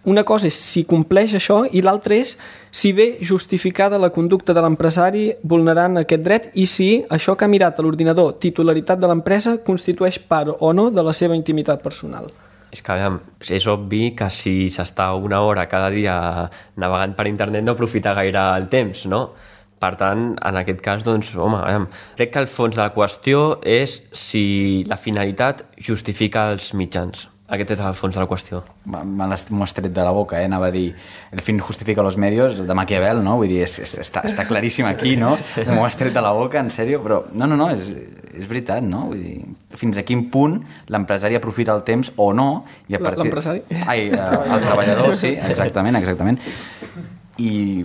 Una cosa és si compleix això i l'altra és si ve justificada la conducta de l'empresari vulnerant aquest dret i si això que ha mirat a l'ordinador, titularitat de l'empresa, constitueix part o no de la seva intimitat personal. És que, és obvi que si s'està una hora cada dia navegant per internet no aprofita gaire el temps, no? Per tant, en aquest cas, crec que el fons de la qüestió és si la finalitat justifica els mitjans. Aquest és el fons de la qüestió. M'ho has tret de la boca, anava a dir el fin justifica los medios, de Maquiavel, no? Vull dir, està claríssim aquí, no? M'ho has tret de la boca, en sèrio? Però no, és veritat, no? Vull dir, fins a quin punt l'empresari aprofita el temps o no, i a partir... L'empresari? El treballador, sí, exactament. I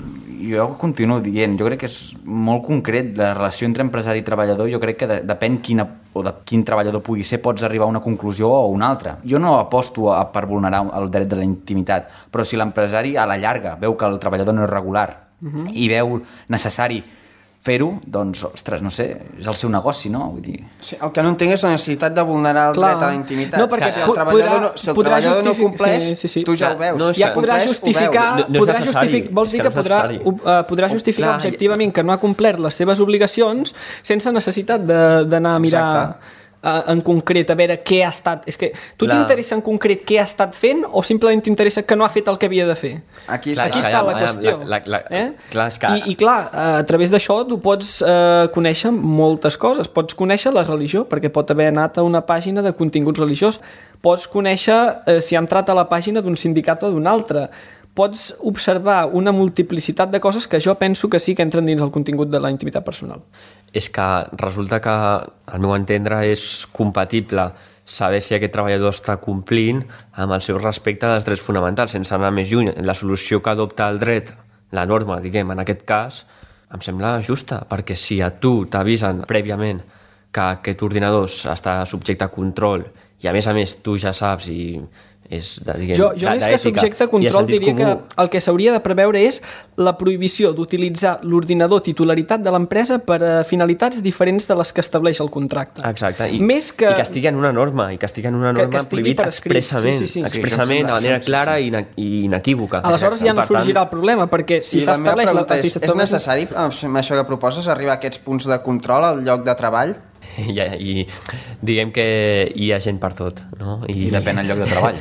jo continuo dient, jo crec que és molt concret la relació entre empresari i treballador, jo crec que depèn de quin treballador pugui ser, pots arribar a una conclusió o una altra. Jo no aposto per vulnerar el dret de la intimitat, però si l'empresari a la llarga veu que el treballador no és regular i veu necessari fer-ho, doncs, ostres, no sé, és el seu negoci, no? Vull dir... Sí, el que no entenc és la necessitat de vulnerar el dret a la intimitat. No, perquè si el treballador no compleix, tu ja ho veus. Ja podrà justificar, vols dir que podrà justificar objectivament que no ha complert les seves obligacions sense necessitat d'anar a mirar... en concret, a veure què ha estat... És que tu t'interessa en concret què ha estat fent o simplement t'interessa que no ha fet el que havia de fer? Aquí està la qüestió. I clar, a través d'això tu pots conèixer moltes coses. Pots conèixer la religió, perquè pot haver anat a una pàgina de contingut religiós. Pots conèixer si ha entrat a la pàgina d'un sindicat o d'un altre. Pots observar una multiplicitat de coses que jo penso que sí que entren dins el contingut de la intimitat personal. És que resulta que, al meu entendre, és compatible saber si aquest treballador està complint amb el seu respecte dels drets fonamentals, sense anar més lluny. La solució que adopta el dret, la norma, diguem, en aquest cas, em sembla justa, perquè si a tu t'avisen prèviament que aquest ordinador està subjecte a control i a més tu ja saps i és jo més que subjecte a control diria que el que s'hauria de preveure és la prohibició d'utilitzar l'ordinador titularitat de l'empresa per a finalitats diferents de les que estableix el contracte. Exacte, i que estigui en una norma prohibit expressament, expressament de manera clara i inequívoca. Aleshores ja no sorgirà el problema, perquè si s'estableix... És necessari, amb això que proposes, arribar a aquests punts de control al lloc de treball? I diguem que hi ha gent per tot, no? I depèn del lloc de treball.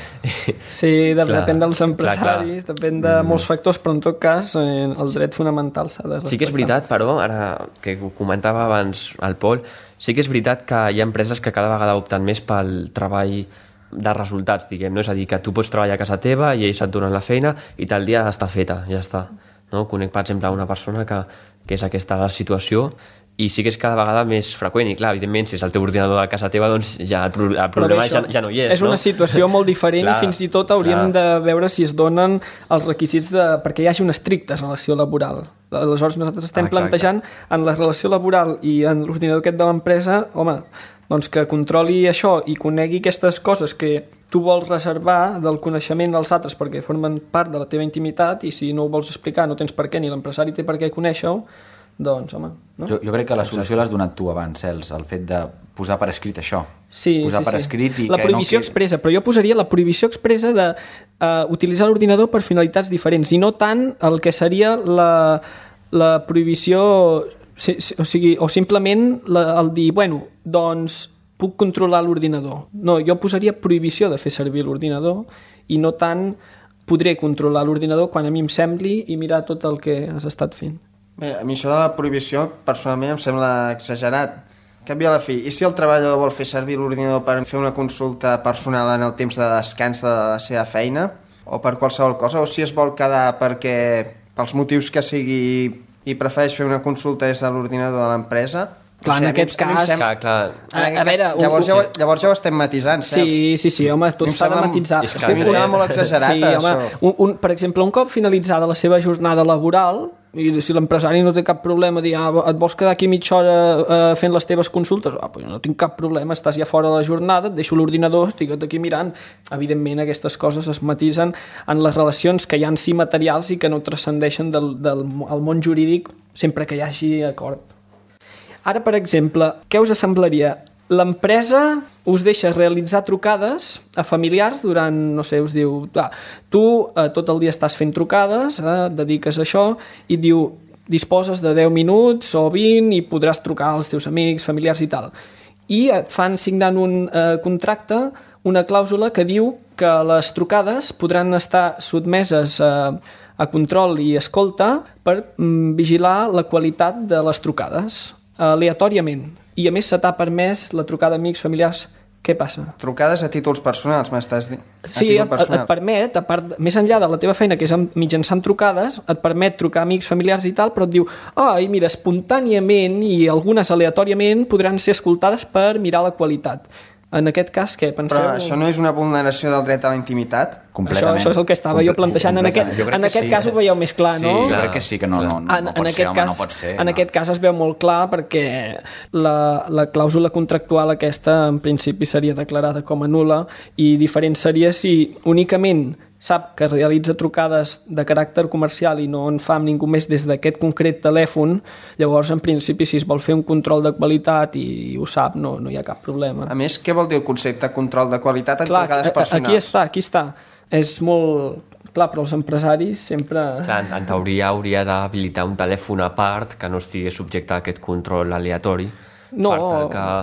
Sí, depèn dels empresaris, depèn de molts factors, però en tot cas el dret fonamental s'ha de respectar. Sí que és veritat, però, ara que ho comentava abans el Pol, sí que és veritat que hi ha empreses que cada vegada opten més pel treball de resultats, diguem, no? És a dir, que tu pots treballar a casa teva i ells et donen la feina i tal dia està feta, ja està. No? Conec, per exemple, una persona que és aquesta la situació i sí que és cada vegada més freqüent i clar, evidentment, si és el teu ordinador a casa teva doncs ja el problema ja no hi és. És una situació molt diferent i fins i tot hauríem de veure si es donen els requisits perquè hi hagi una estricta relació laboral. Aleshores nosaltres estem plantejant en la relació laboral i en l'ordinador aquest de l'empresa, home, doncs que controli això i conegui aquestes coses que tu vols reservar del coneixement dels altres perquè formen part de la teva intimitat i si no ho vols explicar no tens per què ni l'empresari té per què conèixer-ho, doncs, home... No? Jo crec que la solució l'has donat tu abans, Cels, el fet de posar per escrit això. Sí, posar per escrit i la prohibició expressa, però jo posaria la prohibició expressa de utilitzar l'ordinador per finalitats diferents i no tant el que seria la prohibició, o simplement el dir, bueno, doncs puc controlar l'ordinador. No, jo posaria prohibició de fer servir l'ordinador i no tant podré controlar l'ordinador quan a mi em sembli i mirar tot el que has estat fent. Bé, a mi això de la prohibició personalment em sembla exagerat. Cap i a la fi, i si el treballador vol fer servir l'ordinador per fer una consulta personal en el temps de descans de la seva feina o per qualsevol cosa, o si es vol quedar perquè pels motius que sigui i prefereix fer una consulta des de l'ordinador de l'empresa. Clar, en aquest cas... Llavors ja ho estem matisant, saps? Sí, home, tot s'ha de matisar. És que a mi em sembla molt exagerat, això. Per exemple, un cop finalitzada la seva jornada laboral, i si l'empresari no té cap problema, dir, et vols quedar aquí mitja hora fent les teves consultes? Pues no tinc cap problema, estàs ja fora de la jornada, et deixo l'ordinador, estigue't aquí mirant. Evidentment, aquestes coses es matisen en les relacions que hi ha en si materials i que no transcendeixen del món jurídic sempre que hi hagi acord. Ara, per exemple, què us semblaria? L'empresa us deixa realitzar trucades a familiars durant, no sé, us diu, tu tot el dia estàs fent trucades, dediques a això, i diu, disposes de 10 minuts o 20 i podràs trucar als teus amics, familiars i tal. I et fan signant un contracte, una clàusula que diu que les trucades podran estar sotmeses a control i escolta per vigilar la qualitat de les trucades aleatòriament, i a més se t'ha permès la trucada a amics, familiars. Què passa? Trucades a títols personals, m'estàs dient? Sí, et permet, a part, més enllà de la teva feina, que és mitjançant trucades, et permet trucar a amics, familiars i tal, però et diu, i mira, espontàniament i algunes aleatòriament podran ser escoltades per mirar la qualitat. En aquest cas, què penseu? Però això no és una vulneració del dret a la intimitat? Completament. Això és el que estava jo plantejant. En aquest cas ho veieu més clar, no? Sí, jo crec que sí, que no pot ser, home, no pot ser. En aquest cas es veu molt clar perquè la clàusula contractual aquesta en principi seria declarada com a nul·la i diferent seria si únicament sap que realitza trucades de caràcter comercial i no en fa amb ningú més des d'aquest concret telèfon, llavors en principi si es vol fer un control de qualitat i ho sap, no hi ha cap problema. A més, què vol dir el concepte control de qualitat en trucades personals? Aquí està. És molt... Clar, però els empresaris sempre... Clar, en teoria hauria d'habilitar un telèfon a part que no estigui subjecte a aquest control aleatori. No,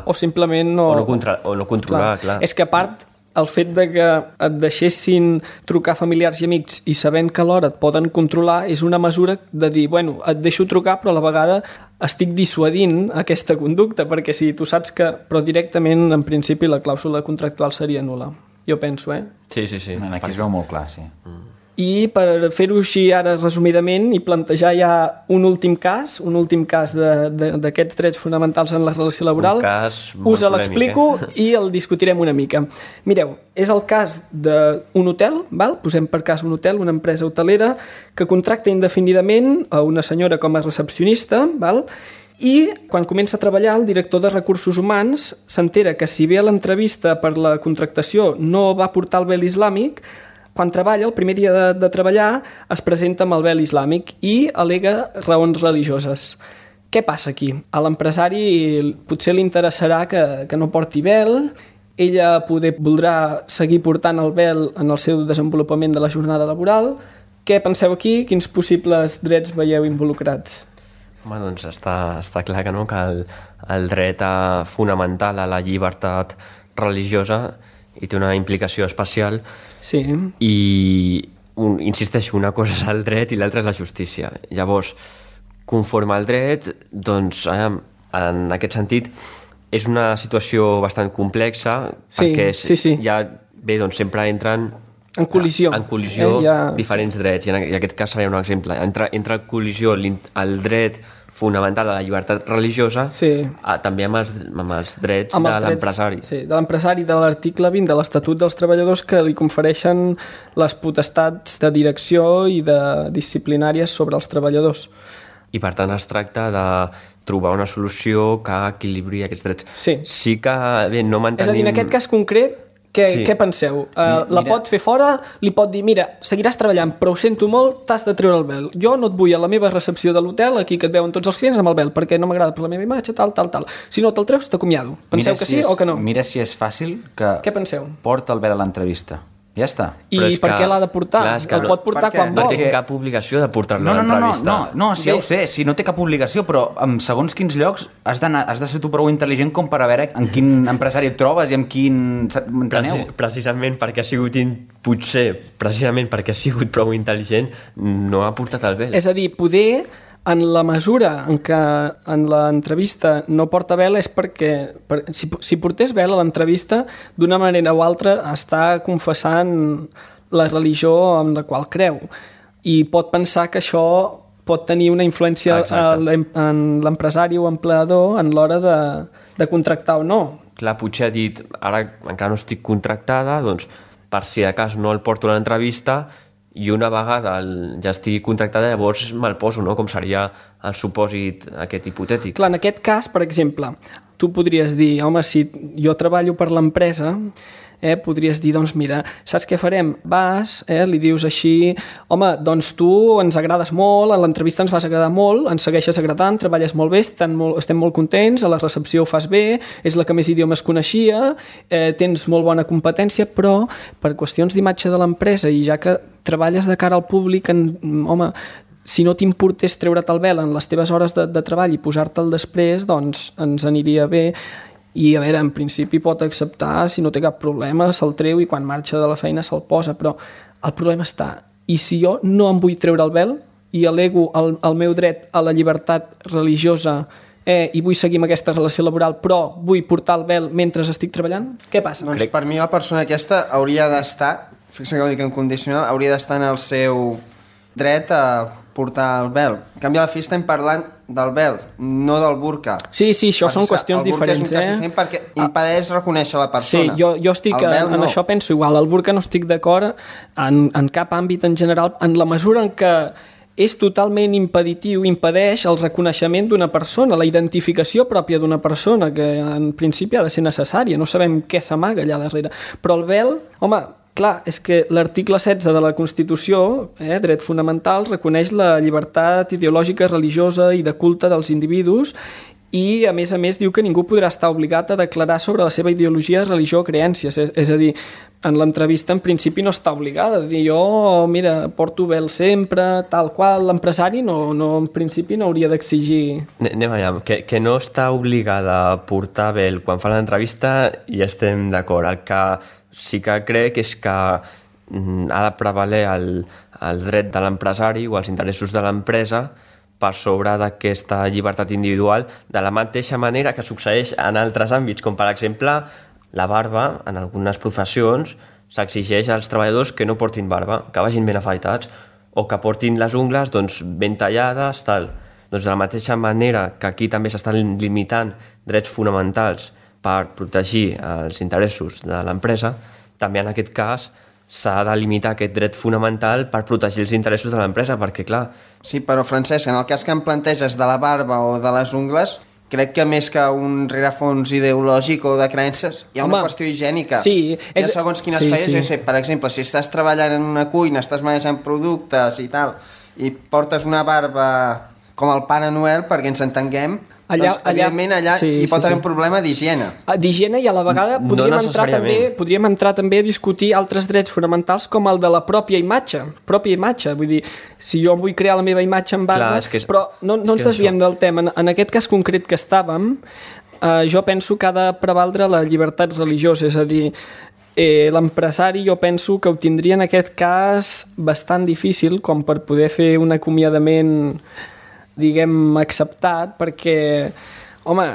o simplement no... O no controlar, clar. És que a part, el fet de que et deixessin trucar familiars i amics i sabent que alhora et poden controlar és una mesura de dir, bueno, et deixo trucar però a la vegada estic dissuadint aquesta conducta, perquè si tu saps que... Però directament, en principi, la clàusula contractual seria nul·la. Jo penso, Sí. Aquí es veu molt clar, sí. I per fer-ho així ara resumidament i plantejar ja un últim cas d'aquests drets fonamentals en la relació laboral, us l'explico i el discutirem una mica. Mireu, és el cas d'un hotel, val? Posem per cas un hotel, una empresa hotelera que contracta indefinidament a una senyora com a recepcionista, val? I quan comença a treballar el director de recursos humans s'entera que si bé a l'entrevista per la contractació no va portar el vel islàmic, quan treballa, el primer dia de treballar, es presenta amb el vel islàmic i al·lega raons religioses. Què passa aquí? A l'empresari potser li interessarà que no porti vel, ella voldrà seguir portant el vel en el seu desenvolupament de la jornada laboral. Què penseu aquí? Quins possibles drets veieu involucrats? Home, doncs està clar que no, que el dret fonamental a la llibertat religiosa i té una implicació especial. Sí. I insisteixo, una cosa és el dret i l'altra és la justícia. Llavors, conforme al dret, doncs, en aquest sentit, és una situació bastant complexa, perquè ja bé, doncs, sempre entren en col·lisió, diferents drets, i en aquest cas seria un exemple. Entra en col·lisió el dret fonamental a la llibertat religiosa, també amb els drets de l'empresari. Sí, de l'empresari, de l'article 20 de l'Estatut dels Treballadors, que li confereixen les potestats de direcció i de disciplinàries sobre els treballadors. I per tant es tracta de trobar una solució que equilibri aquests drets. Sí que, bé, no mantenim... És a dir, en aquest cas concret, Què penseu? La pot fer fora, li pot dir, mira, seguiràs treballant, però ho sento molt, t'has de treure el vel. Jo no et vull a la meva recepció de l'hotel, aquí que et veuen tots els clients, amb el vel, perquè no m'agrada per la meva imatge, tal. Si no te'l treus, t'acomiado. Penseu que sí o que no? Mira si és fàcil que... Què penseu? Porta el vel a l'entrevista. Ja està. I per què l'ha de portar? El pot portar quan vol. No té cap obligació de portar-lo a l'entrevista. No, sí, ja ho sé, si no té cap obligació, però en segons quins llocs has de ser tu prou intel·ligent com per a veure en quin empresari et trobes i amb quin... Precisament perquè ha sigut precisament perquè ha sigut prou intel·ligent, no ha portat el vel. És a dir, poder... En la mesura en què en l'entrevista no porta vel és perquè si portés vel a l'entrevista, d'una manera o altra està confessant la religió en la qual creu i pot pensar que això pot tenir una influència en l'empresari o empleador en l'hora de contractar o no. Clar, potser ha dit, ara encara no estic contractada, doncs per si de cas no el porto a l'entrevista i una vegada ja estigui contractada, llavors me'l poso, no? Com seria el supòsit aquest hipotètic. Clar, en aquest cas, per exemple, tu podries dir, home, si jo treballo per l'empresa, podries dir, doncs mira, saps què farem? Vas, li dius així, home, doncs tu ens agrades molt, a l'entrevista ens vas agradar molt, ens segueixes agradant, treballes molt bé, estem molt contents, a la recepció ho fas bé, és la que més idiomes coneixia, tens molt bona competència, però per qüestions d'imatge de l'empresa i ja que treballes de cara al públic, home, si no t'importés treure't el vel en les teves hores de treball i posar-te'l després, doncs ens aniria bé. I, a veure, en principi pot acceptar, si no té cap problema, se'l treu i quan marxa de la feina se'l posa, però el problema està. I si jo no em vull treure el vel i alego el meu dret a la llibertat religiosa i vull seguir amb aquesta relació laboral, però vull portar el vel mentre estic treballant, què passa? Doncs per mi la persona aquesta hauria d'estar, fixa que ho dic en condicional, hauria d'estar en el seu dret a portar el vel. En canvi, a la fi estem parlant del vel, no del burca. Sí, això són qüestions diferents. El burca és un cas diferent perquè impedeix reconèixer la persona. Sí, jo estic en això penso igual. El burca no estic d'acord en cap àmbit en general, en la mesura en què és totalment impeditiu, impedeix el reconeixement d'una persona, la identificació pròpia d'una persona, que en principi ha de ser necessària. No sabem què s'amaga allà darrere. Però el vel, home, clar, és que l'article 16 de la Constitució, dret fonamental, reconeix la llibertat ideològica, religiosa i de culte dels individus i, a més, diu que ningú podrà estar obligat a declarar sobre la seva ideologia, religió o creències. És a dir, en l'entrevista, en principi, no està obligada a dir jo, mira, porto vel sempre, tal qual. L'empresari en principi no hauria d'exigir... Anem allà, que no està obligada a portar vel quan fa l'entrevista i estem d'acord. El que sí que crec és que ha de prevaler el dret de l'empresari o els interessos de l'empresa per sobre d'aquesta llibertat individual, de la mateixa manera que succeeix en altres àmbits, com per exemple la barba. En algunes professions s'exigeix als treballadors que no portin barba, que vagin ben afaitats, o que portin les ungles ben tallades, tal. Doncs de la mateixa manera que aquí també s'estan limitant drets fonamentals per protegir els interessos de l'empresa, també en aquest cas s'ha de limitar aquest dret fonamental per protegir els interessos de l'empresa, perquè clar... Sí, però Francesc, en el cas que em planteges de la barba o de les ungles, crec que més que un rerefons ideològic o de creences, hi ha una qüestió higiènica. Sí, hi ha segons quines feies, jo sé, per exemple, si estàs treballant en una cuina, estàs manejant productes i tal, i portes una barba com el Pare Noel, perquè ens entenguem, evidentment allà hi pot haver un problema d'higiene. D'higiene, i a la vegada podríem entrar també a discutir altres drets fonamentals com el de la pròpia imatge. Vull dir, si jo vull crear la meva imatge en barba... Però no ens desviem del tema. En aquest cas concret que estàvem, jo penso que ha de prevaldre la llibertat religiosa, és a dir, l'empresari jo penso que ho tindria en aquest cas bastant difícil com per poder fer un acomiadament, diguem, acceptat, perquè, home,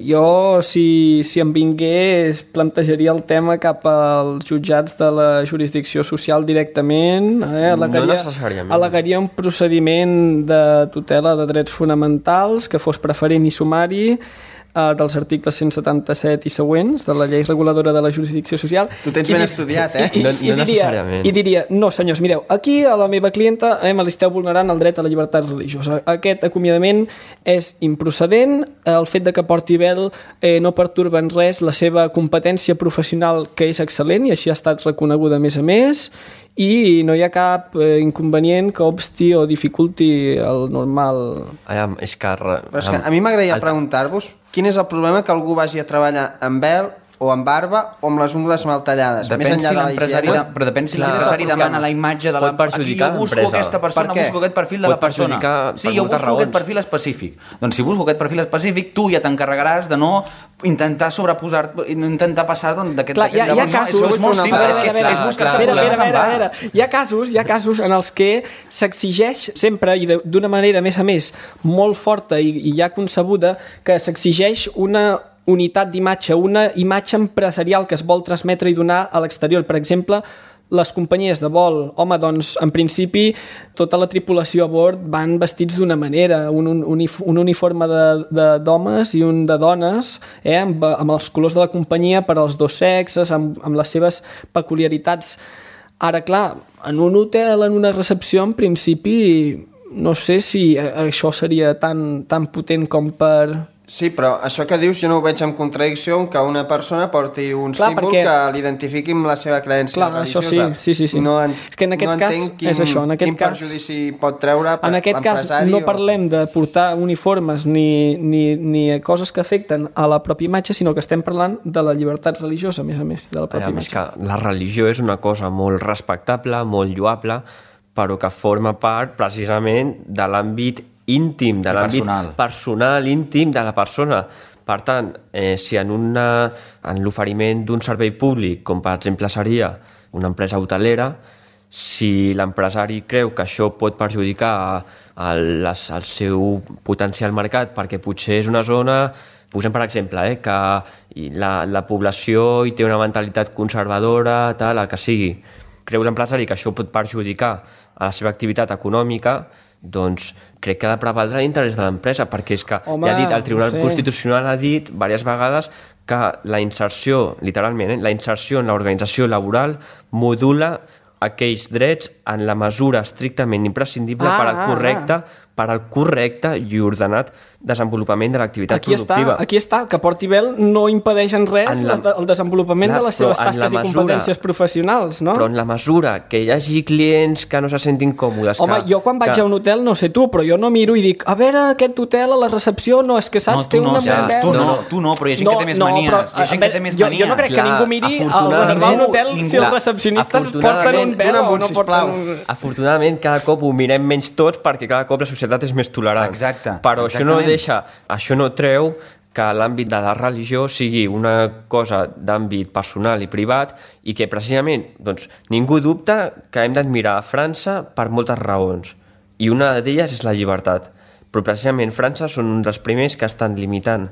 jo si em vingués plantejaria el tema cap als jutjats de la jurisdicció social directament, al·legaria un procediment de tutela de drets fonamentals que fos preferent i sumari, dels articles 177 i següents de la llei reguladora de la jurisdicció social. Tu tens ben estudiat, eh? No necessàriament. I diria, no senyors, mireu, aquí a la meva clienta me li esteu vulnerant el dret a la llibertat religiosa. Aquest acomiadament és improcedent, el fet de que porti vel no perturba en res la seva competència professional, que és excel·lent i així ha estat reconeguda a més, i no hi ha cap inconvenient que obsti o dificulti el normal... És que... Però és que a mi m'agradaria preguntar-vos quin és el problema que algú vagi a treballar amb vel o amb barba o amb les ungles mal tallades. Depèn si l'empresari demana la imatge de la... Aquí jo busco aquesta persona, busco aquest perfil de la persona. Sí, jo busco aquest perfil específic. Doncs si busco aquest perfil específic, tu ja t'encarregaràs de no intentar sobreposar, intentar passar d'aquest... Hi ha casos... És molt simple, és buscar-se problemes en va. Hi ha casos en els que s'exigeix sempre, i d'una manera, a més, molt forta i ja concebuda, que s'exigeix una unitat d'imatge, una imatge empresarial que es vol transmetre i donar a l'exterior. Per exemple, les companyies de vol, home, doncs, en principi, tota la tripulació a bord van vestits d'una manera, un uniforme d'homes i un de dones, amb els colors de la companyia per als dos sexes, amb les seves peculiaritats. Ara, clar, en un hotel, en una recepció, en principi, no sé si això seria tan potent com per... Sí, però això que dius jo no ho veig en contradicció que una persona porti un símbol que l'identifiqui amb la seva creença religiosa. Sí. És que en aquest cas és això. Quin perjudici pot treure l'empresari. En aquest cas no parlem de portar uniformes ni coses que afecten a la pròpia imatge, sinó que estem parlant de la llibertat religiosa, a més, de la pròpia imatge. És que la religió és una cosa molt respectable, molt lloable, però que forma part precisament de l'àmbit íntim, de l'àmbit personal, íntim de la persona. Per tant, si en l'oferiment d'un servei públic, com per exemple seria una empresa hotelera, si l'empresari creu que això pot perjudicar el seu potencial mercat perquè potser és una zona, posem per exemple, que la població hi té una mentalitat conservadora, el que sigui, creu l'empresari que això pot perjudicar a la seva activitat econòmica, doncs crec que ha de prevaldre l'interès de l'empresa, perquè és que, ja ha dit, el Tribunal Constitucional ha dit diverses vegades que la inserció, literalment, la inserció en l'organització laboral modula aquells drets en la mesura estrictament imprescindible per al correcte i ordenat desenvolupament de l'activitat productiva. Aquí està, que porti vel no impedeix en res el desenvolupament de les seves tasques i competències professionals, no? Però en la mesura que hi hagi clients que no se sentin còmodes... Home, jo quan vaig a un hotel, no sé tu, però jo no miro i dic, a veure, aquest hotel a la recepció, no, és que saps, té una molt vel... Tu no, però hi ha gent que té més manies. Hi ha gent que té més manies. Jo no crec que ningú miri al reservar un hotel si els recepcionistes porten un vel o no porten un... Afortunadament, cada cop ho mirem menys tots perquè cada cop la societat és més tolerant. Exacte. Però això no treu que l'àmbit de la religió sigui una cosa d'àmbit personal i privat i que precisament ningú dubta que hem d'admirar a França per moltes raons. I una d'elles és la llibertat. Però precisament França són un dels primers que estan limitant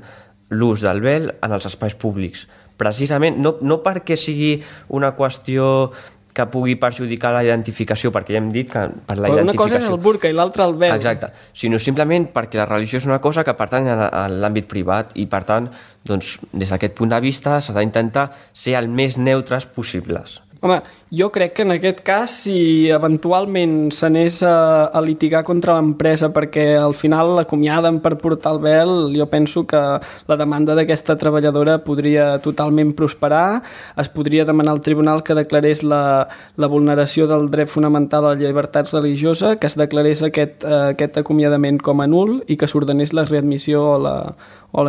l'ús del vel en els espais públics. Precisament, no perquè sigui una qüestió que pugui perjudicar la identificació, perquè ja hem dit que per la identificació... Una cosa és el burca i l'altra el vel. Exacte, sinó simplement perquè la religió és una cosa que pertany a l'àmbit privat i, per tant, des d'aquest punt de vista s'ha d'intentar ser el més neutres possibles. Home, jo crec que en aquest cas, si eventualment s'anés a litigar contra l'empresa perquè al final l'acomiaden per portar el vel, jo penso que la demanda d'aquesta treballadora podria totalment prosperar, es podria demanar al tribunal que declarés la vulneració del dret fonamental a la llibertat religiosa, que es declarés aquest acomiadament com a nul i que s'ordenés la readmissió o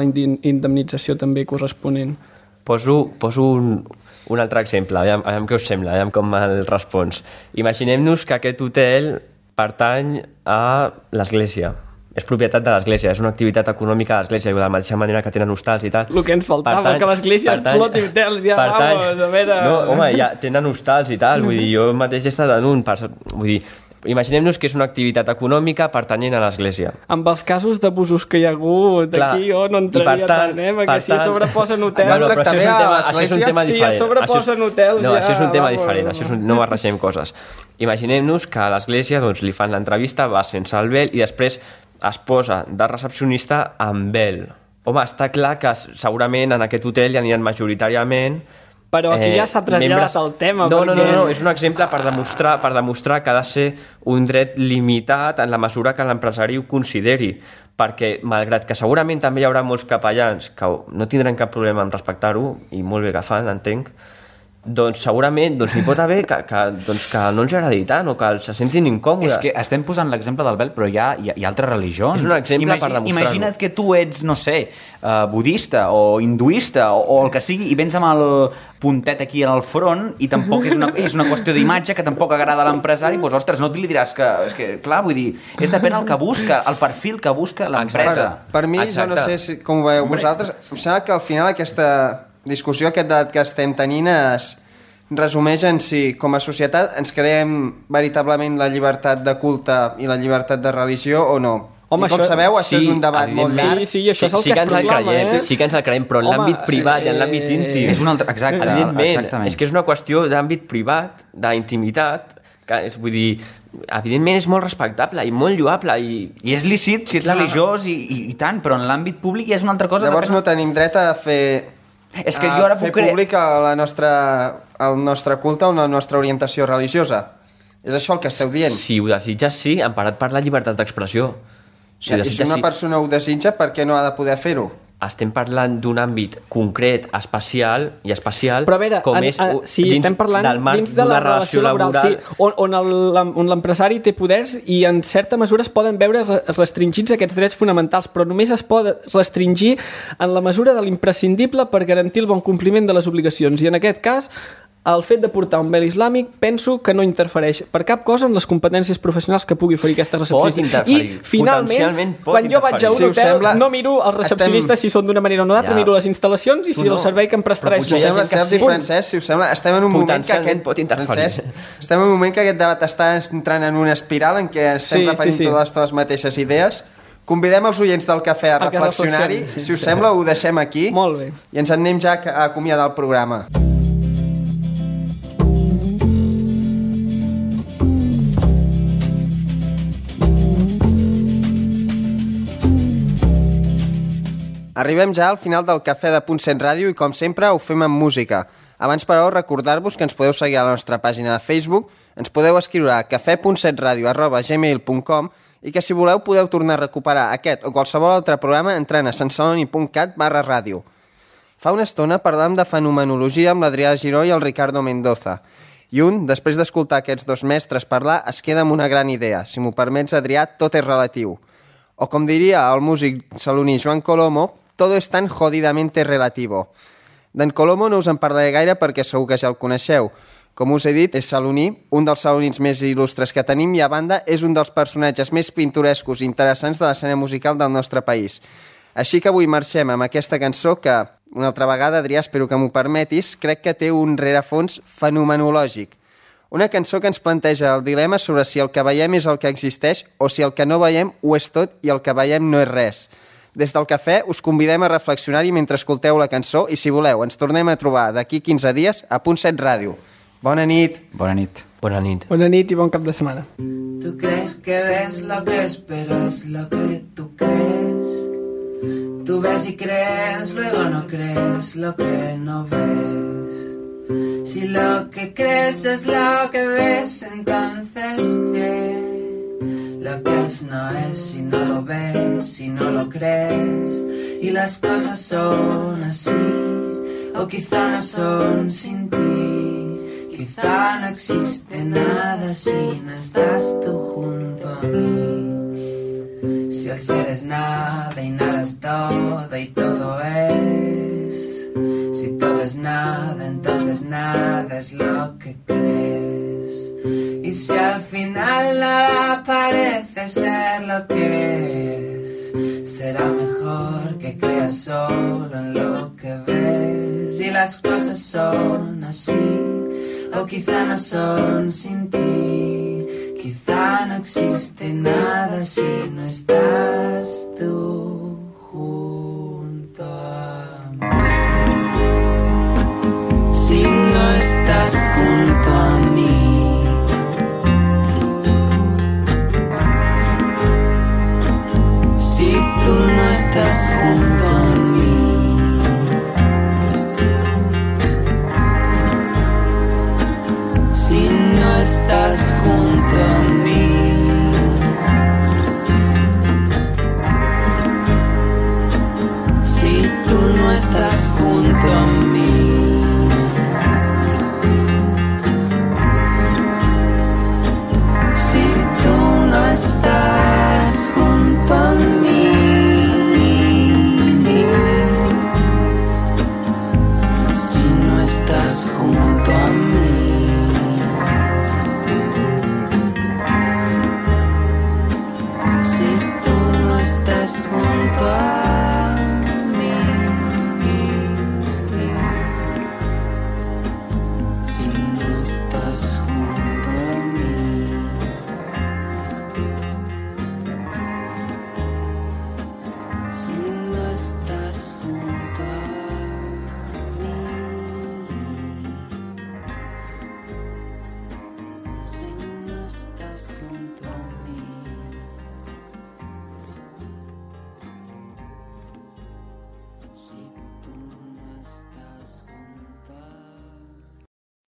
la indemnització també corresponent. Poso un altre exemple, aviam què us sembla, aviam com el respons. Imaginem-nos que aquest hotel pertany a l'església. És propietat de l'església, és una activitat econòmica de l'església, de la mateixa manera que tenen hostals i tal. El que ens faltava, que l'església floti hotels, ja, vamos, a veure... No, home, ja tenen hostals i tal, vull dir, jo mateix he estat en un... Vull dir, imaginem-nos que és una activitat econòmica pertanyent a l'església. Amb els casos d'abusos que hi ha hagut aquí, jo no entraria tant, perquè si a sobreposen hotels... Bueno, però això és un tema Si diferent. a sobreposen hotels ja... No, això és un tema diferent, no barregem coses. Imaginem-nos que a l'església li fan l'entrevista, va sense el vel i després es posa de recepcionista amb vel. Home, està clar que segurament en aquest hotel hi aniran majoritàriament... Però aquí ja s'ha traslladat el tema. No, perquè... no, és un exemple per demostrar que ha de ser un dret limitat en la mesura que l'empresari ho consideri, perquè malgrat que segurament també hi haurà molts capellans que no tindran cap problema en respectar-ho, i molt bé que fan, entenc, doncs segurament hi pot haver que no els agradi tant o que se sentin incòmodes. És que estem posant l'exemple del vel, però hi ha altres religions. És un exemple per demostrar-ho. Imagina't que tu ets, no sé, budista o hinduista o el que sigui, i vens amb el puntet aquí en el front i tampoc és una qüestió d'imatge que tampoc agrada a l'empresari, doncs ostres, no li diràs que... És que, clar, vull dir, és depèn el que busca, el perfil que busca l'empresa. Per mi, jo no sé com ho veieu vosaltres, em sembla que al final aquesta discussió, aquest debat que estem tenint es resumeix en si com a societat ens creem veritablement la llibertat de culte i la llibertat de religió o no. Home, i com sabeu, això és un debat molt llarg. Sí, això és el que es proclama, Sí que ens el creiem, però en l'àmbit privat i en l'àmbit íntim. És un altre... Exactament. És que és una qüestió d'àmbit privat, d'intimitat, que és, vull dir, evidentment és molt respectable i molt lloable. I és lícit si ets religiós i tant, però en l'àmbit públic ja és una altra cosa. Llavors no tenim dret a fer... És que jo ara fer públic el nostre culte o la nostra orientació religiosa. És això el que esteu dient? Si ho desitges, sí, emparat per la llibertat d'expressió. I si una persona ho desitja, per què no ha de poder fer-ho? Estem parlant d'un àmbit concret, especial, però a veure, estem parlant dins de la relació laboral, sí, on l'empresari té poders i en certa mesura es poden veure restringits aquests drets fonamentals, però només es pot restringir en la mesura de l'imprescindible per garantir el bon compliment de les obligacions, i en aquest cas el fet de portar un vel islàmic penso que no interfereix per cap cosa en les competències professionals que pugui oferir aquesta recepcionista. I finalment, quan jo vaig a un hotel, no miro els recepcionistes si són d'una manera o d'altra, miro les instal·lacions i si el servei que em prestarà és... Sergi i Francesc, si us sembla, estem en un moment que aquest debat està entrant en una espiral en què estem repetint totes les mateixes idees. Convidem els oients del cafè a reflexionar-hi. Si us sembla, ho deixem aquí i ens anem ja a acomiadar el programa. Arribem ja al final del Cafè de .7 Ràdio i, com sempre, ho fem amb música. Abans, però, recordar-vos que ens podeu seguir a la nostra pàgina de Facebook, ens podeu escriure a cafè.setradio@gmail.com i que, si voleu, podeu tornar a recuperar aquest o qualsevol altre programa entrant a sensoni.cat/ràdio. Fa una estona parlàvem de fenomenologia amb l'Adrià Giró i el Ricardo Mendoza. I després d'escoltar aquests dos mestres parlar, es queda amb una gran idea. Si m'ho permets, Adrià, tot és relatiu. O com diria el músic saloní Joan Colomo, todo es tan jodidamente relativo. D'en Colomo no us en parlaré gaire perquè segur que ja el coneixeu. Com us he dit, és saloní, un dels salonins més il·lustres que tenim i, a banda, és un dels personatges més pintorescos i interessants de l'escena musical del nostre país. Així que avui marxem amb aquesta cançó que, una altra vegada, Adrià, espero que m'ho permetis, crec que té un rerefons fenomenològic. Una cançó que ens planteja el dilema sobre si el que veiem és el que existeix o si el que no veiem ho és tot i el que veiem no és res. Des del cafè us convidem a reflexionar-hi mentre escolteu la cançó i, si voleu, ens tornem a trobar d'aquí 15 dies a .7 Ràdio. Bona nit. Bona nit. Bona nit. Bona nit i bon cap de setmana. Tú crees que ves lo que es, pero es lo que tú crees. Tú ves y crees, luego no crees lo que no ves. Si lo que crees es lo que ves, entonces ¿qué? Lo que es no es si no lo ves, si no lo crees. Y las cosas son así, o quizá no son sin ti. Quizá no existe nada si no estás tú junto a mí. Si el ser es nada y nada es todo y todo es. Si todo es nada, entonces nada es lo que crees. Y si al final nada parece ser lo que es, será mejor que creas solo en lo que ves. Y las cosas son así, o quizá no son sin ti. Quizá no existe nada si no estás tú junto a mí. Si no estás junto a mí.